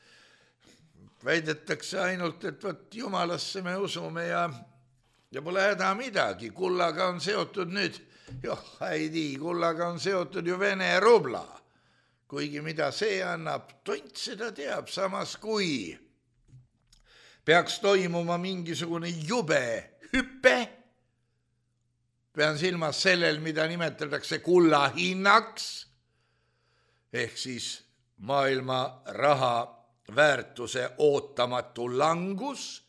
Väidetakse ainult, et võt jumalasse me usume ja pole häda midagi. Kullaga on seotud nüüd, kullaga on seotud ju Vene rubla. Kuigi mida see annab, tont seda teab, samas kui peaks toimuma mingisugune jube hüpe, pean silmas sellel, mida nimetatakse kulla hinnaks, ehk siis maailma raha väärtuse ootamatu langus,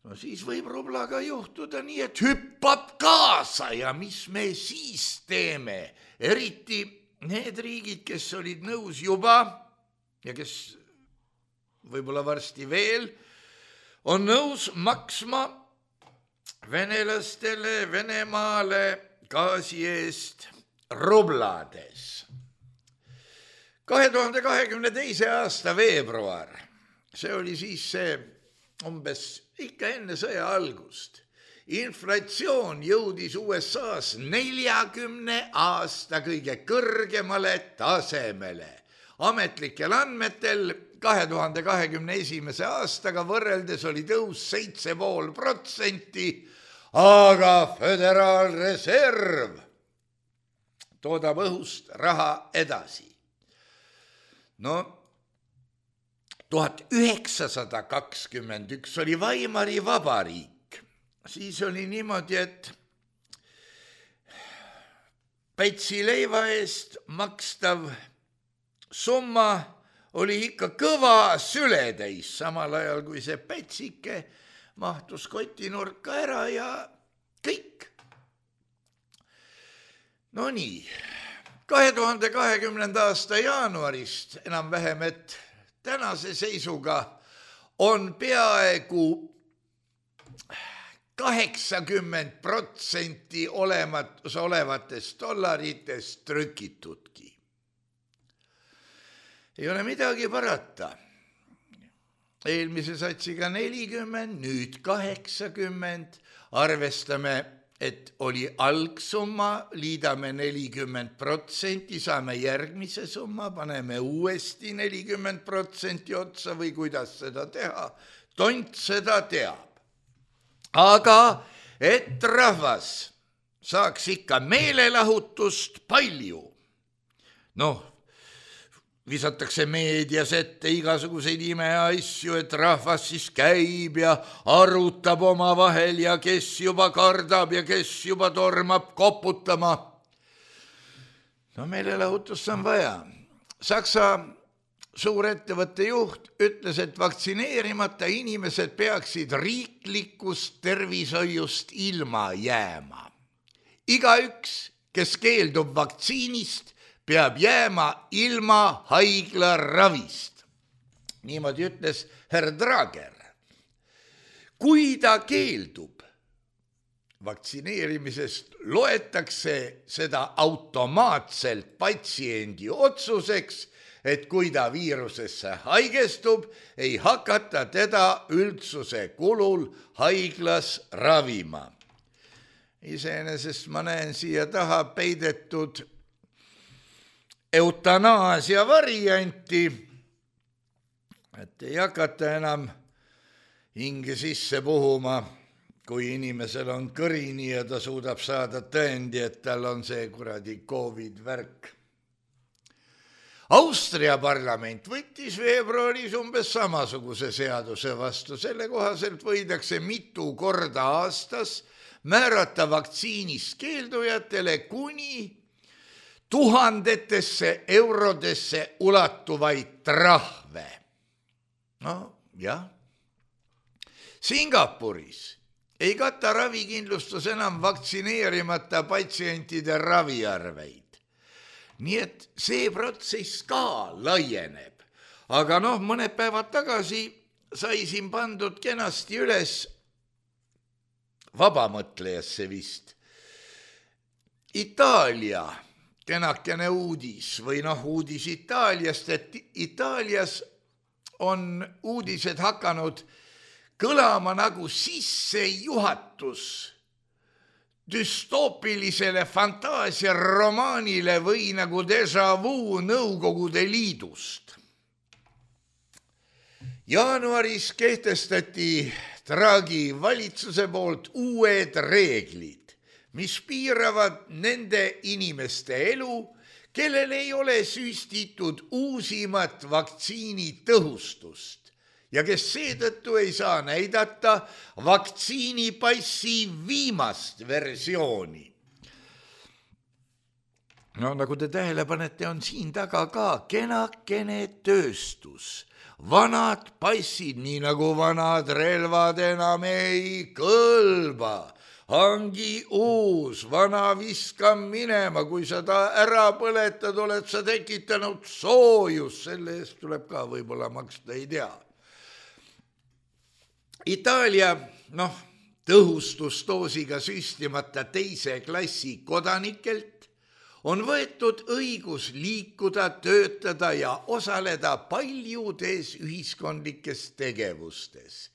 no siis võib rublaga juhtuda nii, et hüppab kaasa ja mis me siis teeme, eriti need riigid, kes olid nõus juba ja kes võib-olla varsti veel, on nõus maksma venelastele Venemaale gaasi eest rublades. 2022. aasta veebruar, see oli siis see umbes ikka enne sõja algust. Inflatsioon jõudis USA-s 40 aasta kõige kõrgemale tasemele. Ametlikel andmetel 2021. aastaga võrreldes oli tõus 7,5%, aga Föderaalreserv toodab õhust raha edasi. No 1921 oli Weimari vabariik. Siis oli niimoodi, et pätsi leiva eest makstav summa oli ikka kõva sületäis, samal ajal kui see pätsike mahtus kotinurka ära ja kõik. No nii, 2020. aasta jaanuarist enam-vähem, et tänase seisuga on peaaegu 80% olevatest dollaritest trükitudki. Ei ole midagi parata. Eelmise satsiga 40, nüüd 80. Arvestame, et oli algsumma, liidame 40%, saame järgmise summa, paneme uuesti 40% otsa või kuidas seda teha. Tont seda teab. Aga et rahvas saaks ikka meelelahutust palju. Noh, visatakse meedias ette igasuguseid imeasju, et rahvas siis käib ja arutab omavahel ja kes juba kardab ja kes juba tormab koputama. No meelelahutust on vaja. Saksa suurettevõtte juht ütles, et vaktsineerimata inimesed peaksid riiklikust tervishoiust ilma jääma. Igaüks, kes keeldub vaktsiinist, peab jääma ilma haiglaravist. Niimoodi ütles herr Drager. Kui ta keeldub vaktsineerimisest, loetakse seda automaatselt patsiendi otsuseks, et kui ta viirusesse haigestub, ei hakata teda üldsuse kulul haiglas ravima. Iseenesest ma näen siia taha peidetud eutanaasia varianti, et ei hakata enam hinge sisse puhuma, kui inimesel on kõrini ja ta suudab saada tõendi, et tal on see kuradi COVID-värk. Austria parlament võttis veebruaris umbes samasuguse seaduse vastu. Selle kohaselt võidakse mitu korda aastas määrata vaktsiinist keeldujatele kuni tuhandetesse eurodesse ulatuvaid trahve. No jah. Singapuris ei kata ravikindlustus enam vaktsineerimata patsientide raviarveid. Nii et see protsess ka laieneb. Aga mõned päevad tagasi sai siin pandud kenasti üles vabamõtlejasse vist Itaalia kenakene uudis või uudis Itaaliast, et Itaalias on uudised hakanud kõlama nagu sissejuhatus düstoopilisele fantaasiaromaanile või nagu déjà vu Nõukogude Liidust. Jaanuaris kehtestati Draghi valitsuse poolt uued reeglid, mis piiravad nende inimeste elu, kellel ei ole süstitud uusimat vaktsiini tõhustust ja kes seetõttu ei saa näidata vaktsiinipassi viimast versiooni. Nagu te tähele panete, on siin taga ka kenakene tööstus. Vanad passid, nii nagu vanad relvad enam ei kõlba. Hangi uus, vana viska minema, kui sa ta ära põletad, oled sa tekitanud soojus, selle eest tuleb ka võib-olla maksta, ei tea. Itaalia, tõhustusdoosiga süstimata teise klassi kodanikelt on võetud õigus liikuda, töötada ja osaleda paljudes ühiskondlikes tegevustes.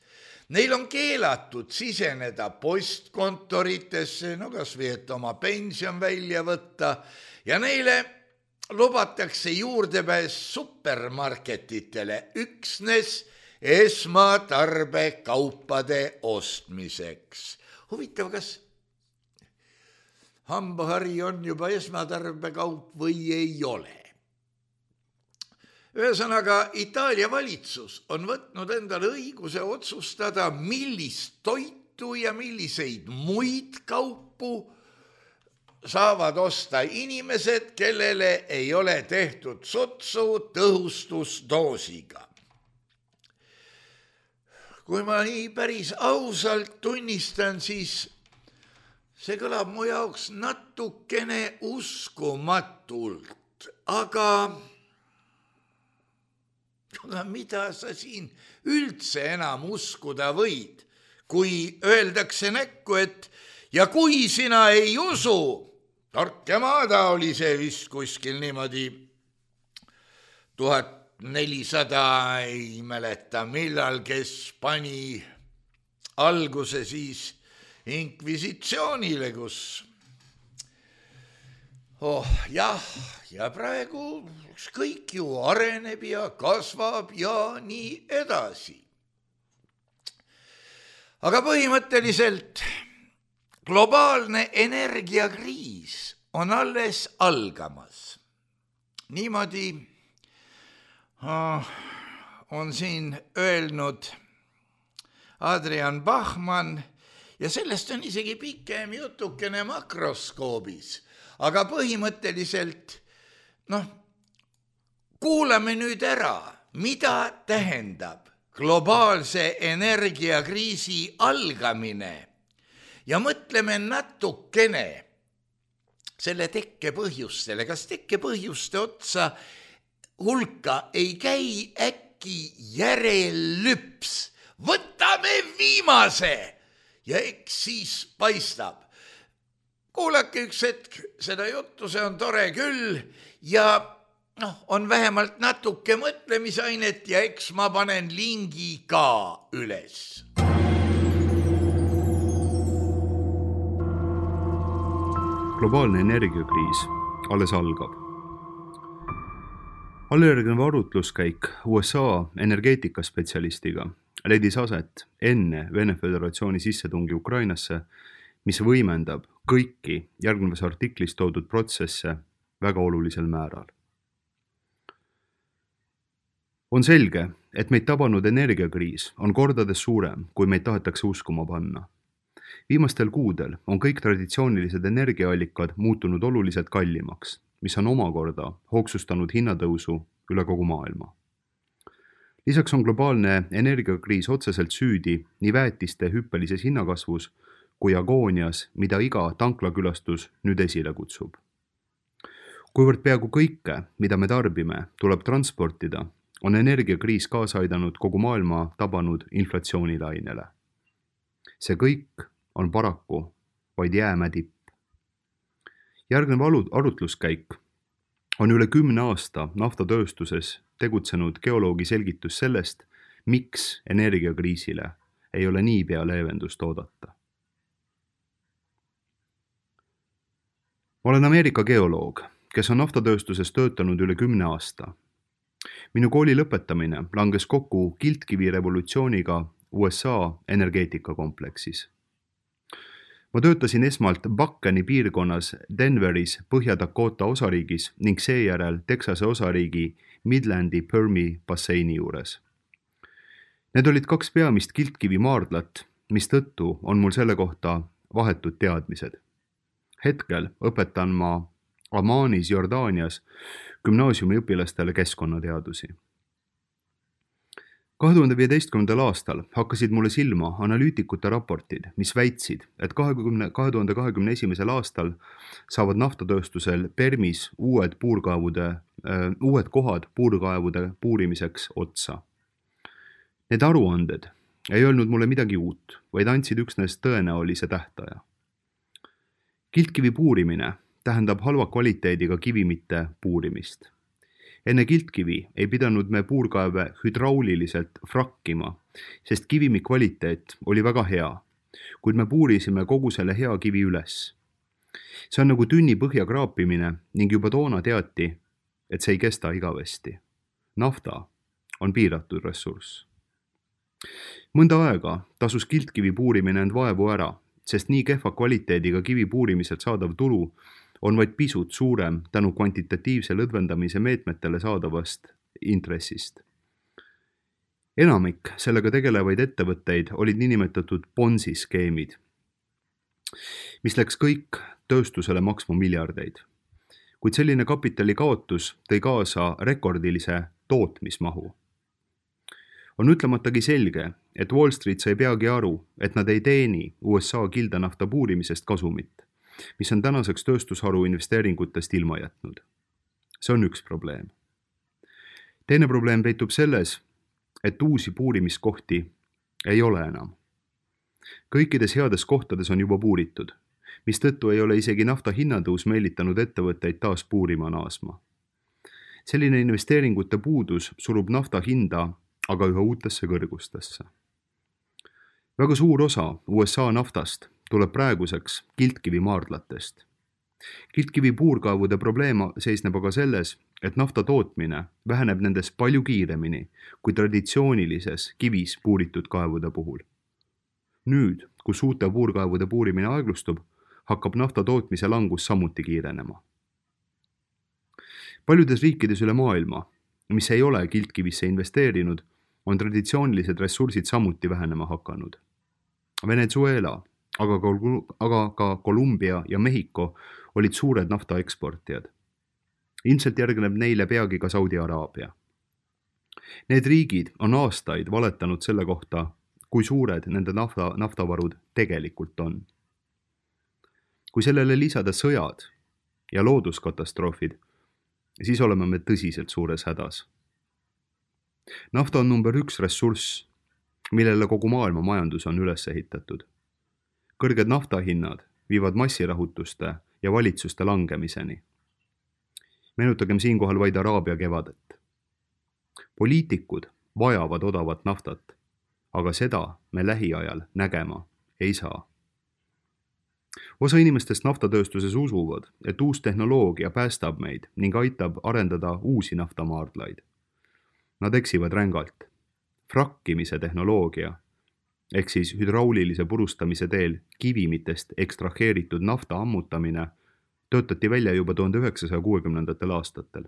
Neil on keelatud siseneda postkontoritesse, kas või et oma pension välja võtta, ja neile lubatakse juurdepääs supermarketitele üksnes esmatarbekaupade ostmiseks. Huvitav, kas hambahari on juba esmatarbekaup või ei ole? Ühesõnaga, Itaalia valitsus on võtnud endale õiguse otsustada, millist toitu ja milliseid muid kaupu saavad osta inimesed, kellele ei ole tehtud sotsu tõhustusdoosiga. Kui ma nii päris ausalt tunnistan, siis see kõlab mu jaoks natukene uskumatult, aga mida sa siin üldse enam uskuda võid, kui öeldakse näkku, et ja kui sina ei usu, Torquemada oli see vist kuskil niimoodi 1400, ei mäleta millal, kes pani alguse siis inkvisitsioonile, kus ja praegu kõik ju areneb ja kasvab ja nii edasi. Aga põhimõtteliselt globaalne energiakriis on alles algamas. Niimoodi on siin öelnud Adrian Bachmann ja sellest on isegi pikem jutukene makroskoobis. Aga põhimõtteliselt, kuulame nüüd ära, mida tähendab globaalse energiakriisi algamine ja mõtleme natukene selle tekkepõhjustele. Kas tekkepõhjuste otsa hulka ei käi äkki järellüps? Võtame viimase ja eks siis paistab. Kuulake üks hetk seda juttu, see on tore küll ja on vähemalt natuke mõtlemisainet ja eks ma panen lingi ka üles. Globaalne energiakriis alles algab. Allejärgne arutluskäik USA energeetikaspetsialistiga leidis aset enne Vene Föderatsiooni sissetungi Ukrainasse, mis võimendab kõiki järgnevas artiklis toodud protsesse väga olulisel määral. On selge, et meid tabanud energiakriis on kordades suurem, kui meid tahetakse uskuma panna. Viimastel kuudel on kõik traditsioonilised energiaallikad muutunud oluliselt kallimaks mis on omakorda hoogsustanud hinnatõusu üle kogu maailma. Lisaks on globaalne energiakriis otseselt süüdi nii väetiste hüppelises hinnakasvus kui agoonias, mida iga tanklakülastus nüüd esile kutsub. Kuivõrd peaaegu kõike, mida me tarbime, tuleb transportida, on energiakriis kaasa aidanud kogu maailma tabanud inflatsioonilainele. See kõik on paraku vaid jäämäe tipp. Järgnev arutluskäik on üle 10 aasta naftatööstuses tegutsenud geoloogi selgitus sellest, miks energiakriisile ei ole niipea leevendust oodata. Ma olen Ameerika geoloog, kes on naftatööstuses töötanud üle 10 aasta. Minu kooli lõpetamine langes kokku kiltkivi revolutsiooniga USA energeetikakompleksis. Ma töötasin esmalt Buckani piirkonnas Denveris Põhja-Dakota osariigis ning seejärel Texase osariigi Midlandi Permi basseini juures. Need olid 2 peamist kiltkivi maardlat, mistõttu on mul selle kohta vahetud teadmised. Hetkel õpetan ma Ammanis, Jordaanias gümnaasiumi õpilastele keskkonnateadusi. 2015. aastal hakkasid mulle silma analüütikute raportid, mis väitsid, et 2021. aastal saavad naftatööstusel Permis uued kohad puurkaevude puurimiseks otsa. Need aruanded ei öelnud mulle midagi uut, vaid andsid üksnes tõenäolise tähtaja. Kiltkivi puurimine tähendab halva kvaliteediga kivimite puurimist. Enne kiltkivi ei pidanud me puurkaeve hüdrauliliselt frakkima, sest kivimi kvaliteet oli väga hea, kuid me puurisime kogu selle hea kivi üles. See on nagu tünni põhja kraapimine ning juba toona teati, et see ei kesta igavesti. Nafta on piiratud ressurss. Mõnda aega tasus kiltkivi puurimine end vaevu ära, sest nii kehva kvaliteediga kivi puurimiselt saadav tulu on vaid pisut suurem tänu kvantitatiivse lõdvendamise meetmetele saadavast intressist. Enamik sellega tegelevaid ettevõtteid olid niinimetatud Ponzi-skeemid, mis läks kõik tööstusele maksma miljardeid. Kuid selline kapitali kaotus tõi kaasa rekordilise tootmismahu. On ütlematagi selge, et Wall Street sai peagi aru, et nad ei teeni USA kildanafta puurimisest kasumit, mis on tänaseks tööstusharu investeeringutest ilma jätnud. See on üks probleem. Teine probleem peitub selles, et uusi puurimiskohti ei ole enam. Kõikides heades kohtades on juba puuritud, mistõttu ei ole isegi nafta hinnatõus meelitanud ettevõtteid taas puurima naasma. Selline investeeringute puudus surub nafta hinda aga üha uutesse kõrgustesse. Väga suur osa USA naftast tuleb praeguseks kiltkivi maardlatest. Kiltkivi puurkaevude probleem seisneb aga selles, et nafta tootmine väheneb nendes palju kiiremini kui traditsioonilises kivis puuritud kaevude puhul. Nüüd, kus uute puurkaevude puurimine aeglustub, hakkab nafta tootmise langus samuti kiirenema. Paljudes riikides üle maailma, mis ei ole kiltkivisse investeerinud, on traditsioonilised ressursid samuti vähenema hakanud. Venezuela, aga ka Kolumbia ja Mehhiko olid suured nafta eksportijad. Ilmselt järgneb neile peagi ka Saudi Araabia. Need riigid on aastaid valetanud selle kohta, kui suured nende naftavarud tegelikult on. Kui sellele lisada sõjad ja looduskatastroofid, siis oleme me tõsiselt suures hädas. Nafta on number 1 ressurss, millele kogu maailma majandus on üles ehitatud. Kõrged naftahinnad viivad massirahutuste ja valitsuste langemiseni. Meenutagem siinkohal vaid Araabia kevadet. Poliitikud vajavad odavat naftat, aga seda me lähiajal nägema ei saa. Osa inimestest naftatööstuses usuvad, et uus tehnoloogia päästab meid ning aitab arendada uusi naftamaardlaid. Nad eksivad rängalt. Frakkimise tehnoloogia, ehk siis hüdraulilise purustamise teel kivimitest ekstraheeritud nafta ammutamine, töötati välja juba 1960. aastatel.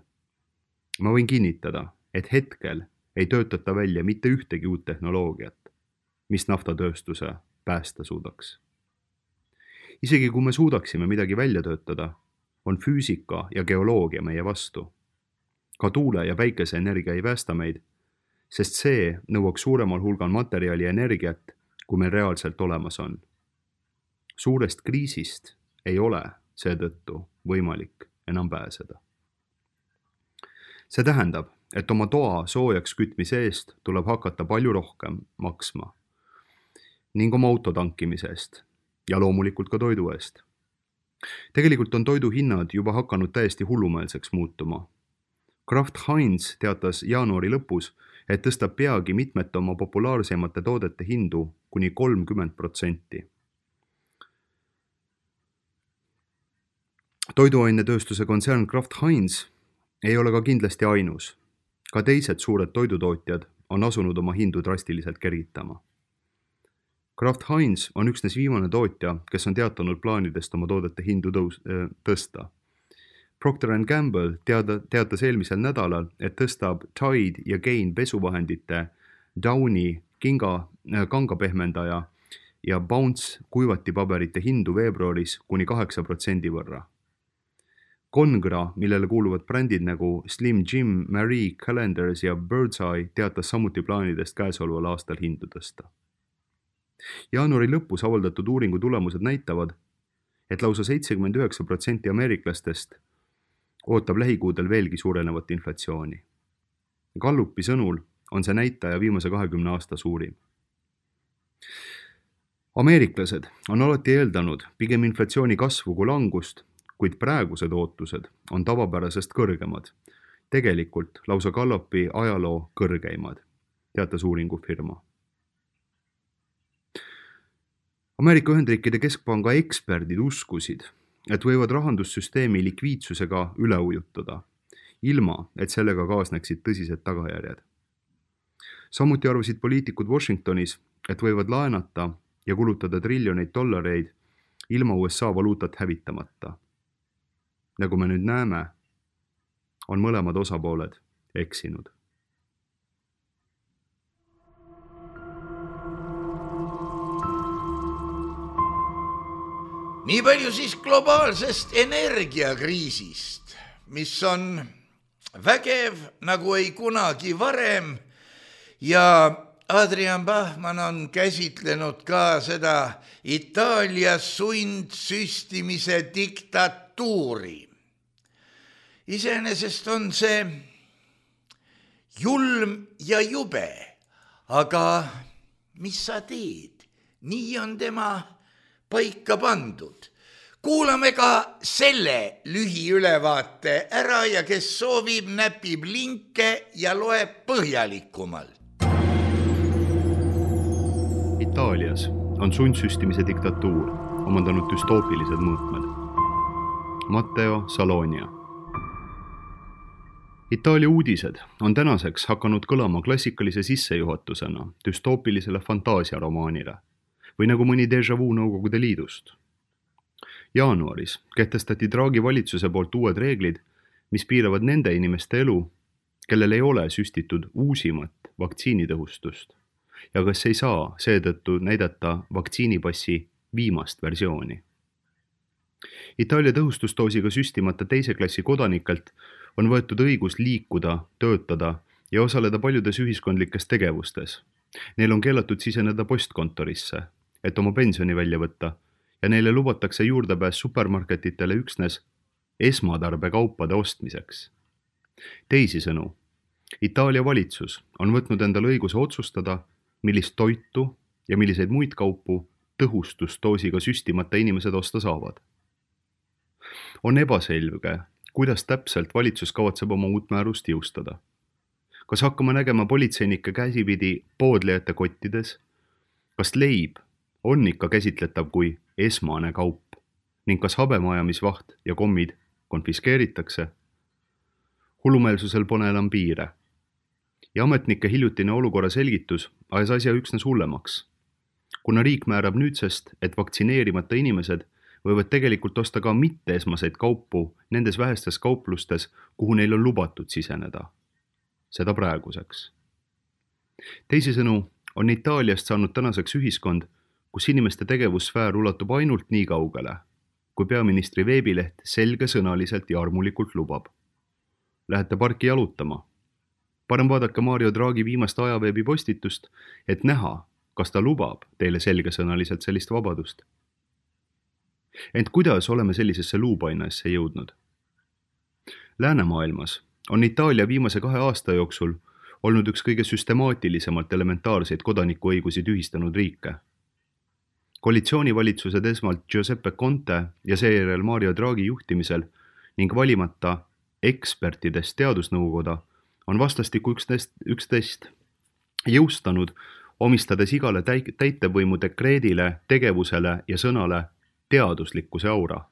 Ma võin kinnitada, et hetkel ei töötata välja mitte ühtegi uut tehnoloogiat, mis naftatööstuse päästa suudaks. Isegi kui me suudaksime midagi välja töötada, on füüsika ja geoloogia meie vastu. Ka tuule- ja päikeseenergia ei päästa meid, sest see nõuaks suuremal hulgal materjali ja energiat, kui meil reaalselt olemas on. Suurest kriisist ei ole seetõttu võimalik enam pääseda. See tähendab, et oma toa soojaks kütmise eest tuleb hakata palju rohkem maksma ning oma auto tankimise eest ja loomulikult ka toidu eest. Tegelikult on toidu hinnad juba hakanud täiesti hullumeelseks muutuma. Kraft Heinz teatas jaanuari lõpus, et tõstab peagi mitmete oma populaarsemate toodete hindu kuni 30%. Toiduainetööstuse kontsern Kraft Heinz ei ole ka kindlasti ainus. Ka teised suured toidutootjad on asunud oma hindu drastiliselt kergitama. Kraft Heinz on üksnes viimane tootja, kes on teatanud plaanidest oma toodete hindu tõsta. Procter & Gamble teatas eelmisel nädalal, et tõstab Tide ja Gain pesuvahendite, Downy kangapehmendaja ja Bounce kuivatipaberite hindu veebruaris kuni 8% võrra. Congra, millele kuuluvad brändid nagu Slim Jim, Marie Callender's ja Birdseye teatas samuti plaanidest käesoleval aastal hindu tõsta. Jaanuari lõpus avaldatud uuringu tulemused näitavad, et lausa 79% ameeriklastest ootab lähikuudel veelgi suurenevat inflatsiooni. Gallupi sõnul on see näitaja viimase 20 aasta suurim. Ameeriklased on alati eeldanud pigem inflatsiooni kasvu kui langust, kuid praegused ootused on tavapärasest kõrgemad. Tegelikult lausa Gallupi ajaloo kõrgeimad, teatas uuringufirma. Ameerika Ühendriikide keskpanga eksperdid uskusid, et võivad rahandussüsteemi likviidsusega üle ujutada, ilma et sellega kaasneksid tõsised tagajärjed. Samuti arvasid poliitikud Washingtonis, et võivad laenata ja kulutada triljoneid dollareid ilma USA valuutat hävitamata. Nagu me nüüd näeme, on mõlemad osapooled eksinud. Nii palju siis globaalsest energiakriisist, mis on vägev nagu ei kunagi varem ja Adrian Bachmann on käsitlenud ka seda Itaalia sundsüstimise diktatuuri. Iseenesest on see julm ja jube, aga mis sa teed? Nii on tema paika pandud. Kuulame ka selle lühiülevaate ära ja kes soovib, näpib linke ja loeb põhjalikumalt. Itaalias on sundsüstimise diktatuur omandanud düstoopilised mõõtmed. Matteo Salonia. Itaalia uudised on tänaseks hakanud kõlama klassikalise sissejuhatusena düstoopilisele fantaasiaromaanile või nagu mõni déjà vu Nõukogude Liidust. Jaanuaris kehtestati Draghi valitsuse poolt uued reeglid, mis piiravad nende inimeste elu, kellel ei ole süstitud uusimat vaktsiinitõhustust ja kes ei saa seetõttu näidata vaktsiinipassi viimast versiooni. Itaalia tõhustusdoosiga süstimata teise klassi kodanikelt on võetud õigus liikuda, töötada ja osaleda paljudes ühiskondlikes tegevustes. Neil on keelatud siseneda postkontorisse, et oma pensioni välja võtta ja neile lubatakse juurdepääs supermarketitele üksnes esmatarbekaupade ostmiseks. Teisisõnu, Itaalia valitsus on võtnud endale õiguse otsustada, millist toitu ja milliseid muid kaupu tõhustusdoosiga süstimata inimesed osta saavad. On ebaselge, kuidas täpselt valitsus kavatseb oma uut määrust jõustada. Kas hakkame nägema politseinike käsipidi poodlejate kottides? Kas leib on ikka käsitletav kui esmane kaup ning kas habemajamisvaht ja kommid konfiskeeritakse? Hullumeelsusel pole enam piire. Ja ametnike hiljutine olukorra selgitus ajas asja üksnes hullemaks. Kuna riik määrab nüüdsest, et vaktsineerimata inimesed võivad tegelikult osta ka mitte esmaseid kaupu nendes vähestes kauplustes, kuhu neil on lubatud siseneda. Seda praeguseks. Teisisõnu on Itaaliast saanud tänaseks ühiskond, kus inimeste tegevussfäär ulatub ainult nii kaugele, kui peaministri veebileht selgesõnaliselt ja armulikult lubab. Lähete parki jalutama. Parem vaadake Mario Draghi viimast ajaveebi postitust, et näha, kas ta lubab teile selgesõnaliselt sellist vabadust. Ent kuidas oleme sellisesse luupainasse jõudnud? Läänemaailmas on Itaalia viimase 2 aasta jooksul olnud üks kõige süstemaatilisemalt elementaarseid kodanikuõigusi tühistanud riike. Koalitsioonivalitsused esmalt Giuseppe Conte ja seejärel Mario Draghi juhtimisel ning valimata ekspertidest teadusnõukoda on vastastikku üksteist jõustanud, omistades igale täitevvõimu dekreedile, tegevusele ja sõnale teaduslikkuse aura.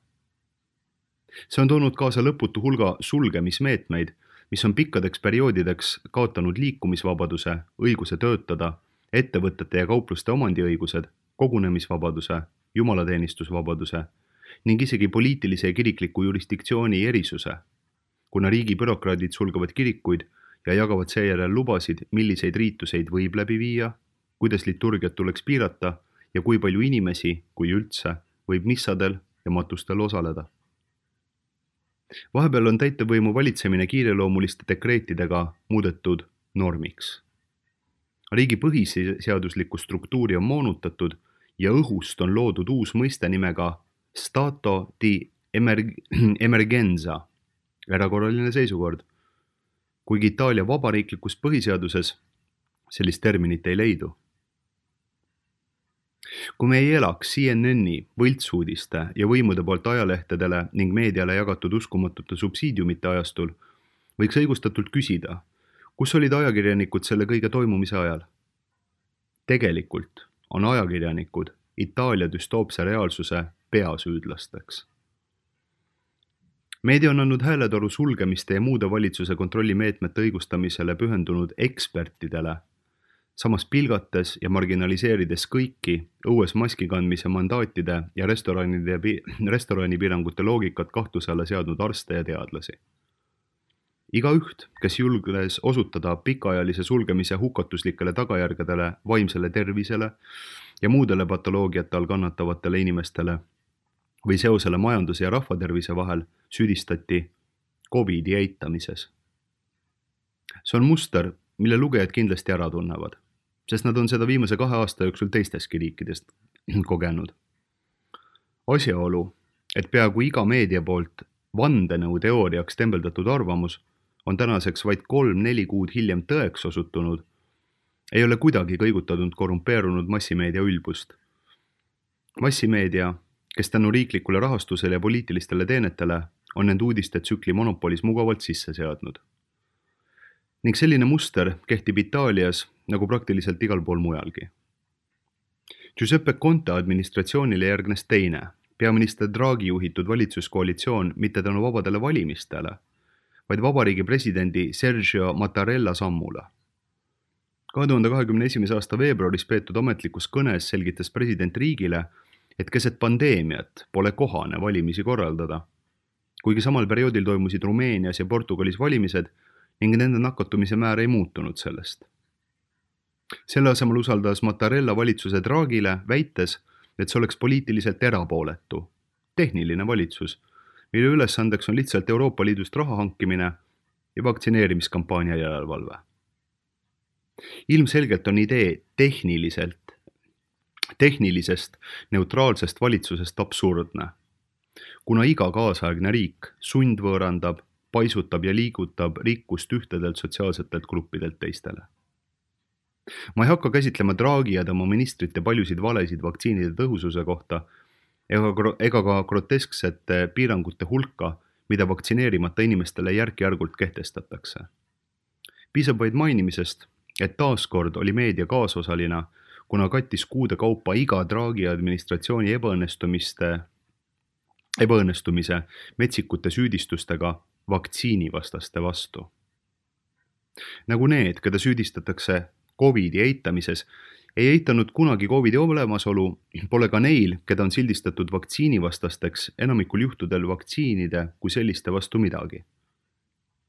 See on toonud kaasa lõputu hulga sulgemismeetmeid, mis on pikkadeks perioodideks kaotanud liikumisvabaduse, õiguse töötada, ettevõtete ja kaupluste omandiõigused, kogunemisvabaduse, jumalateenistusvabaduse ning isegi poliitilise ja kirikliku jurisdiktsiooni erisuse, kuna riigi bürokraadid sulgevad kirikuid ja jagavad seejärel lubasid, milliseid riituseid võib läbi viia, kuidas liturgiat tuleks piirata ja kui palju inimesi, kui üldse, võib missadel ja matustel osaleda. Vahepeal on täitevvõimu valitsemine kiireloomuliste dekreetidega muudetud normiks. Riigi põhiseaduslikku struktuuri on moonutatud ja õhust on loodud uus mõiste nimega stato di emergenza, erakorraline seisukord, kuigi Itaalia vabariiklikus põhiseaduses sellist terminit ei leidu. Kui me ei elaks CNN-i, võltsuudiste ja võimude poolt ajalehtedele ning meediale jagatud uskumatute subsiidiumite ajastul, võiks õigustatult küsida, kus olid ajakirjanikud selle kõige toimumise ajal? Tegelikult on ajakirjanikud Itaalia düstoopse reaalsuse peasüüdlasteks. Meedia on andnud hääletoru sulgemiste ja muude valitsuse kontrollimeetmete õigustamisele pühendunud ekspertidele, samas pilgates ja marginaliseerides kõiki õues maski kandmise mandaatide ja restoranipiirangute loogikat kahtluse alla seadnud arste ja teadlasi. Igaüht, kes julges osutada pikaajalise sulgemise hukatuslikele tagajärgedele vaimsele tervisele ja muudele patoloogiate all kannatavatele inimestele või seosele majanduse ja rahvatervise vahel, süüdistati COVID-i eitamises. See on muster, mille lugejad kindlasti ära tunnevad, sest nad on seda viimase 2 aasta jooksul teistestki riikidest kogenud. Asjaolu, et peaaegu iga meedia poolt vandenõu teooriaks tembeldatud arvamus on tänaseks vaid 3-4 kuud hiljem tõeks osutunud, ei ole kuidagi kõigutatud korrumpeerunud massimeedia ülbust. Massimeedia, kes tänu riiklikule rahastusele ja poliitilistele teenetele on nende uudiste tsükli monopolis mugavalt sisse seadnud. Ning selline muster kehtib Itaalias nagu praktiliselt igal pool mujalgi. Giuseppe Conte administratsioonile järgnes teine, peaminister Draghi juhitud valitsuskoalitsioon mitte tänu vabadele valimistele, vaid vabariigi presidendi Sergio Mattarella sammule. 2021. aasta veebruaris peetud ametlikus kõnes selgitas president riigile, et keset pandeemiat pole kohane valimisi korraldada, kuigi samal perioodil toimusid Rumeenias ja Portugalis valimised ning nende nakatumise määr ei muutunud sellest. Selle asemel usaldas Mattarella valitsuse Draghile, väites, et see oleks poliitiliselt erapooletu, tehniline valitsus, mille ülesandeks on lihtsalt Euroopa Liidust raha hankimine ja vaktsineerimiskampaania järelevalve. Ilmselgelt on idee tehnilisest neutraalsest valitsusest absurdne, kuna iga kaasaegne riik sundvõõrandab, paisutab ja liigutab rikkust ühtedelt sotsiaalsetelt gruppidelt teistele. Ma ei hakka käsitlema Draghi ja tema ministrite paljusid valesid vaktsiinide tõhususe kohta ega ka grotesksete piirangute hulka, mida vaktsineerimata inimestele järk-järgult kehtestatakse. Piisab vaid mainimisest, et taaskord oli meedia kaasosalina, kuna kattis kuude kaupa iga Draghi administratsiooni ebaõnnestumise metsikute süüdistustega vaktsiinivastaste vastu. Nagu need, keda süüdistatakse COVID-i eitamises, ei eitanud kunagi COVID-i olemasolu, pole ka neil, keda on sildistatud vaktsiinivastasteks enamikul juhtudel vaktsiinide kui selliste vastu midagi.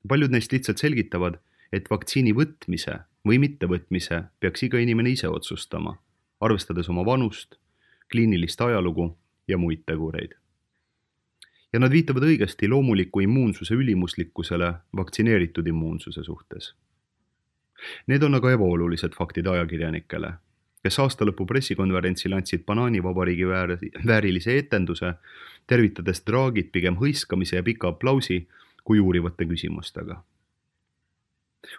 Paljud neist lihtsalt selgitavad, et vaktsiini võtmise või mittevõtmise peaks iga inimene ise otsustama, arvestades oma vanust, kliinilist ajalugu ja muid tegureid. ja nad viitavad õigesti loomuliku immuunsuse ülimuslikkusele vaktsineeritud immuunsuse suhtes. Need on aga ebaolulised faktid ajakirjanikele, kes aastalõpu pressikonverentsil andsid banaanivabariigi väärilise etenduse, tervitades Draghit pigem hõiskamise ja pika aplausi kui uurivate küsimustega.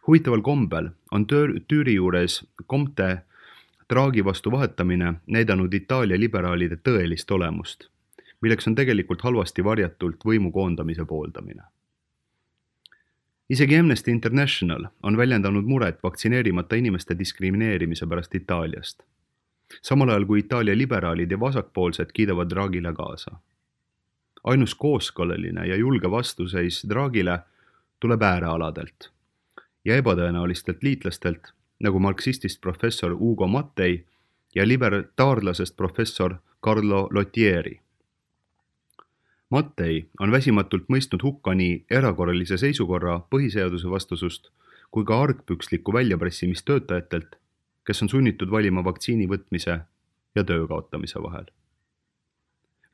Huvitaval kombel on Tüüri juures Comte Draghi vastu vahetamine näidanud Itaalia liberaalide tõelist olemust, milleks on tegelikult halvasti varjatult võimu koondamise pooldamine. Isegi Amnesty International on väljendanud muret vaktsineerimata inimeste diskrimineerimise pärast Itaaliast, samal ajal kui Itaalia liberaalid ja vasakpoolsed kiidavad Draghile kaasa. Ainus kooskõlaline ja julge vastuseis Draghile tuleb äärealadelt ja ebatõenäolistelt liitlastelt, nagu marksistist professor Ugo Mattei ja libertaarlasest professor Carlo Lottieri. Mattei on väsimatult mõistnud hukka nii erakorralise seisukorra põhiseaduse vastusust kui ka argpükslikku väljapressimist töötajatelt, kes on sunnitud valima vaktsiini võtmise ja töö kaotamise vahel.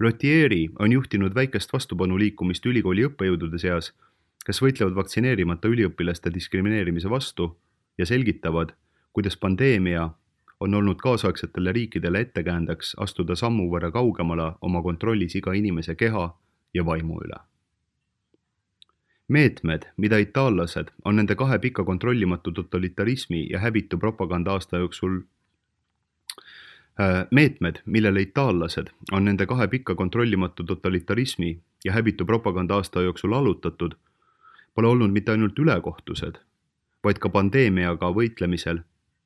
Lottieri on juhtinud väikest vastupanu liikumist ülikooli õppejõudude seas, kes võitlevad vaktsineerimata üliõpilaste diskrimineerimise vastu ja selgitavad, kuidas pandeemia on olnud kaasaegsetele riikidele ettekäändeks astuda sammu võrra kaugemale oma kontrollis iga inimese keha ja vaimu üle. Meetmed, mida itaallased on nende 2 pika kontrollimatu totalitarismi ja häbitu propaganda aasta jooksul Meetmed, millele itaallased on nende 2 pika kontrollimatu totalitarismi ja häbitu propaganda aasta jooksul allutatud, pole olnud mitte ainult ülekohtused, vaid ka pandeemiaga võitlemisel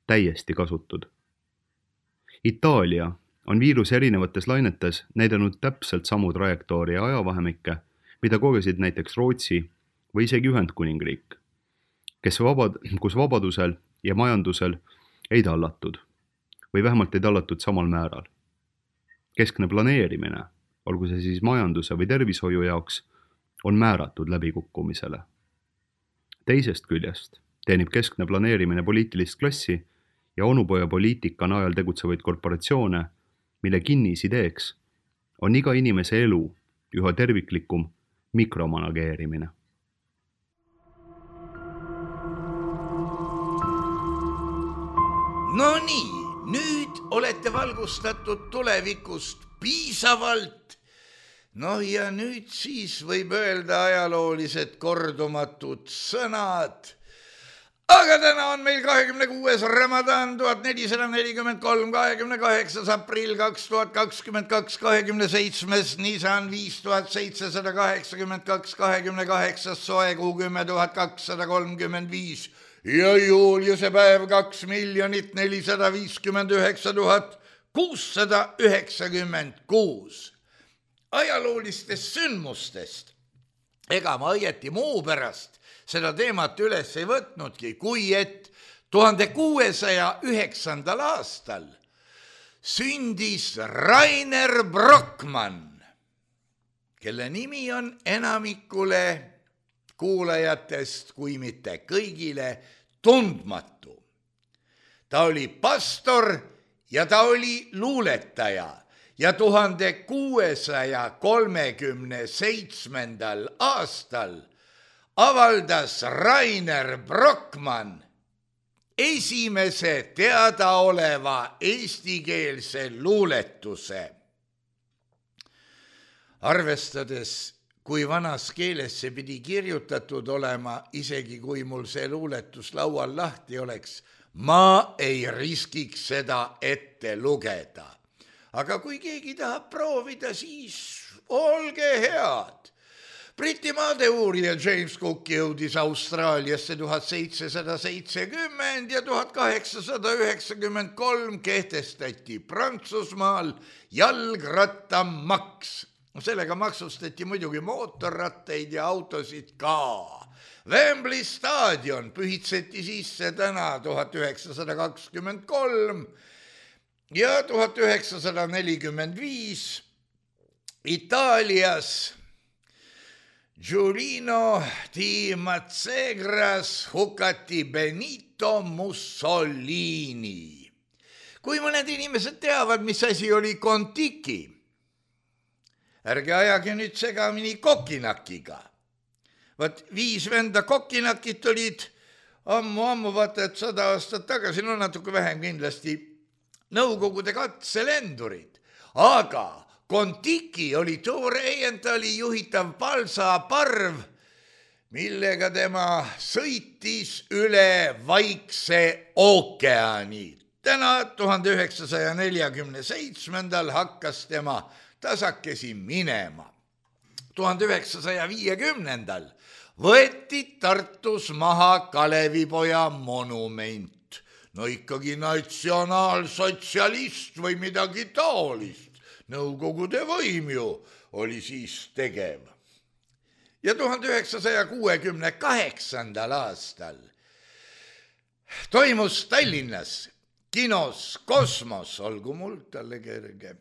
täiesti kasutud. Itaalia on viiruse erinevates lainetes näidanud täpselt samu trajektoori ja ajavahemikke, mida kogesid näiteks Rootsi või isegi Ühendkuningriik, kus vabadusel ja majandusel ei tallatud või vähemalt ei tallatud samal määral. Keskne planeerimine, olgu see siis majanduse või tervishoiu jaoks, on määratud läbikukkumisele. Teisest küljest teenib keskne planeerimine poliitilist klassi ja onupoja poliitika najal tegutsevaid korporatsioone, mille kinnisideeks on iga inimese elu üha terviklikum mikromanageerimine. No nii, nüüd olete valgustatud tulevikust piisavalt. No ja nüüd siis võib öelda ajaloolised kordumatud sõnad. Aga täna on meil 26. Ramadan 1443, 28. aprill 2022, 27. Nisan 5782, 28. soekuu 10 235 ja juuliuse päev 2 459 696. Ajaloolistest sündmustest ega ma õieti muu pärast seda teemat üles ei võtnudki, kui et 1609. aastal sündis Rainer Brockmann, kelle nimi on enamikule kuulajatest, kui mitte kõigile, tundmatu. Ta oli pastor ja ta oli luuletaja ja 1637. aastal avaldas Rainer Brockmann esimese teadaoleva eestikeelse luuletuse. Arvestades, kui vanas keeles see pidi kirjutatud olema, isegi kui mul see luuletus laual lahti oleks, ma ei riskiks seda ette lugeda. Aga kui keegi tahab proovida, siis olge head. Briti maadeurija James Cook jõudis Austraaliasse 1770 ja 1893 kehtestati Prantsusmaal jalgrattamaks. Sellega maksustati muidugi mootorrattaid ja autosid ka. Wembley staadion pühitseti sisse täna 1923 ja 1945 Itaalias Giulino di Mazzegras hukati Benito Mussolini. Kui mõned inimesed teavad, mis asi oli Kontiki, ärge ajage nüüd segamini kokinakiga. Vaat 5 venda kokinakit olid ammu, vaata, et 100 aastat tagasi, no natuke vähem kindlasti, Nõukogude katselendurid. Aga Kontiki oli Tore Eientali juhitav palsaparv, millega tema sõitis üle Vaikse ookeani. Täna 1947. hakkas tema tasakesi minema. 1950. võeti Tartus maha Kalevipoja monument. No ikkagi natsionaalsotsialist või midagi taolist. Nõukogude võim ju oli siis tegev. Ja 1968. aastal toimus Tallinnas kinos Kosmos, olgu mul talle kerge,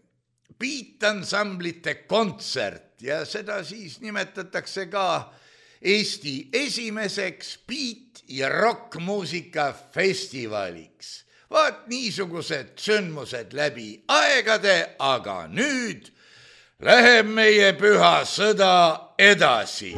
biitansamblite kontsert ja seda siis nimetatakse ka Eesti esimeseks biit- ja rockmuusika festivaliks. Vaat niisugused sündmused läbi aegade, aga nüüd läheb meie püha sõda edasi.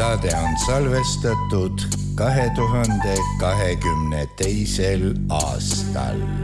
Saade on salvestatud 2022. aastal.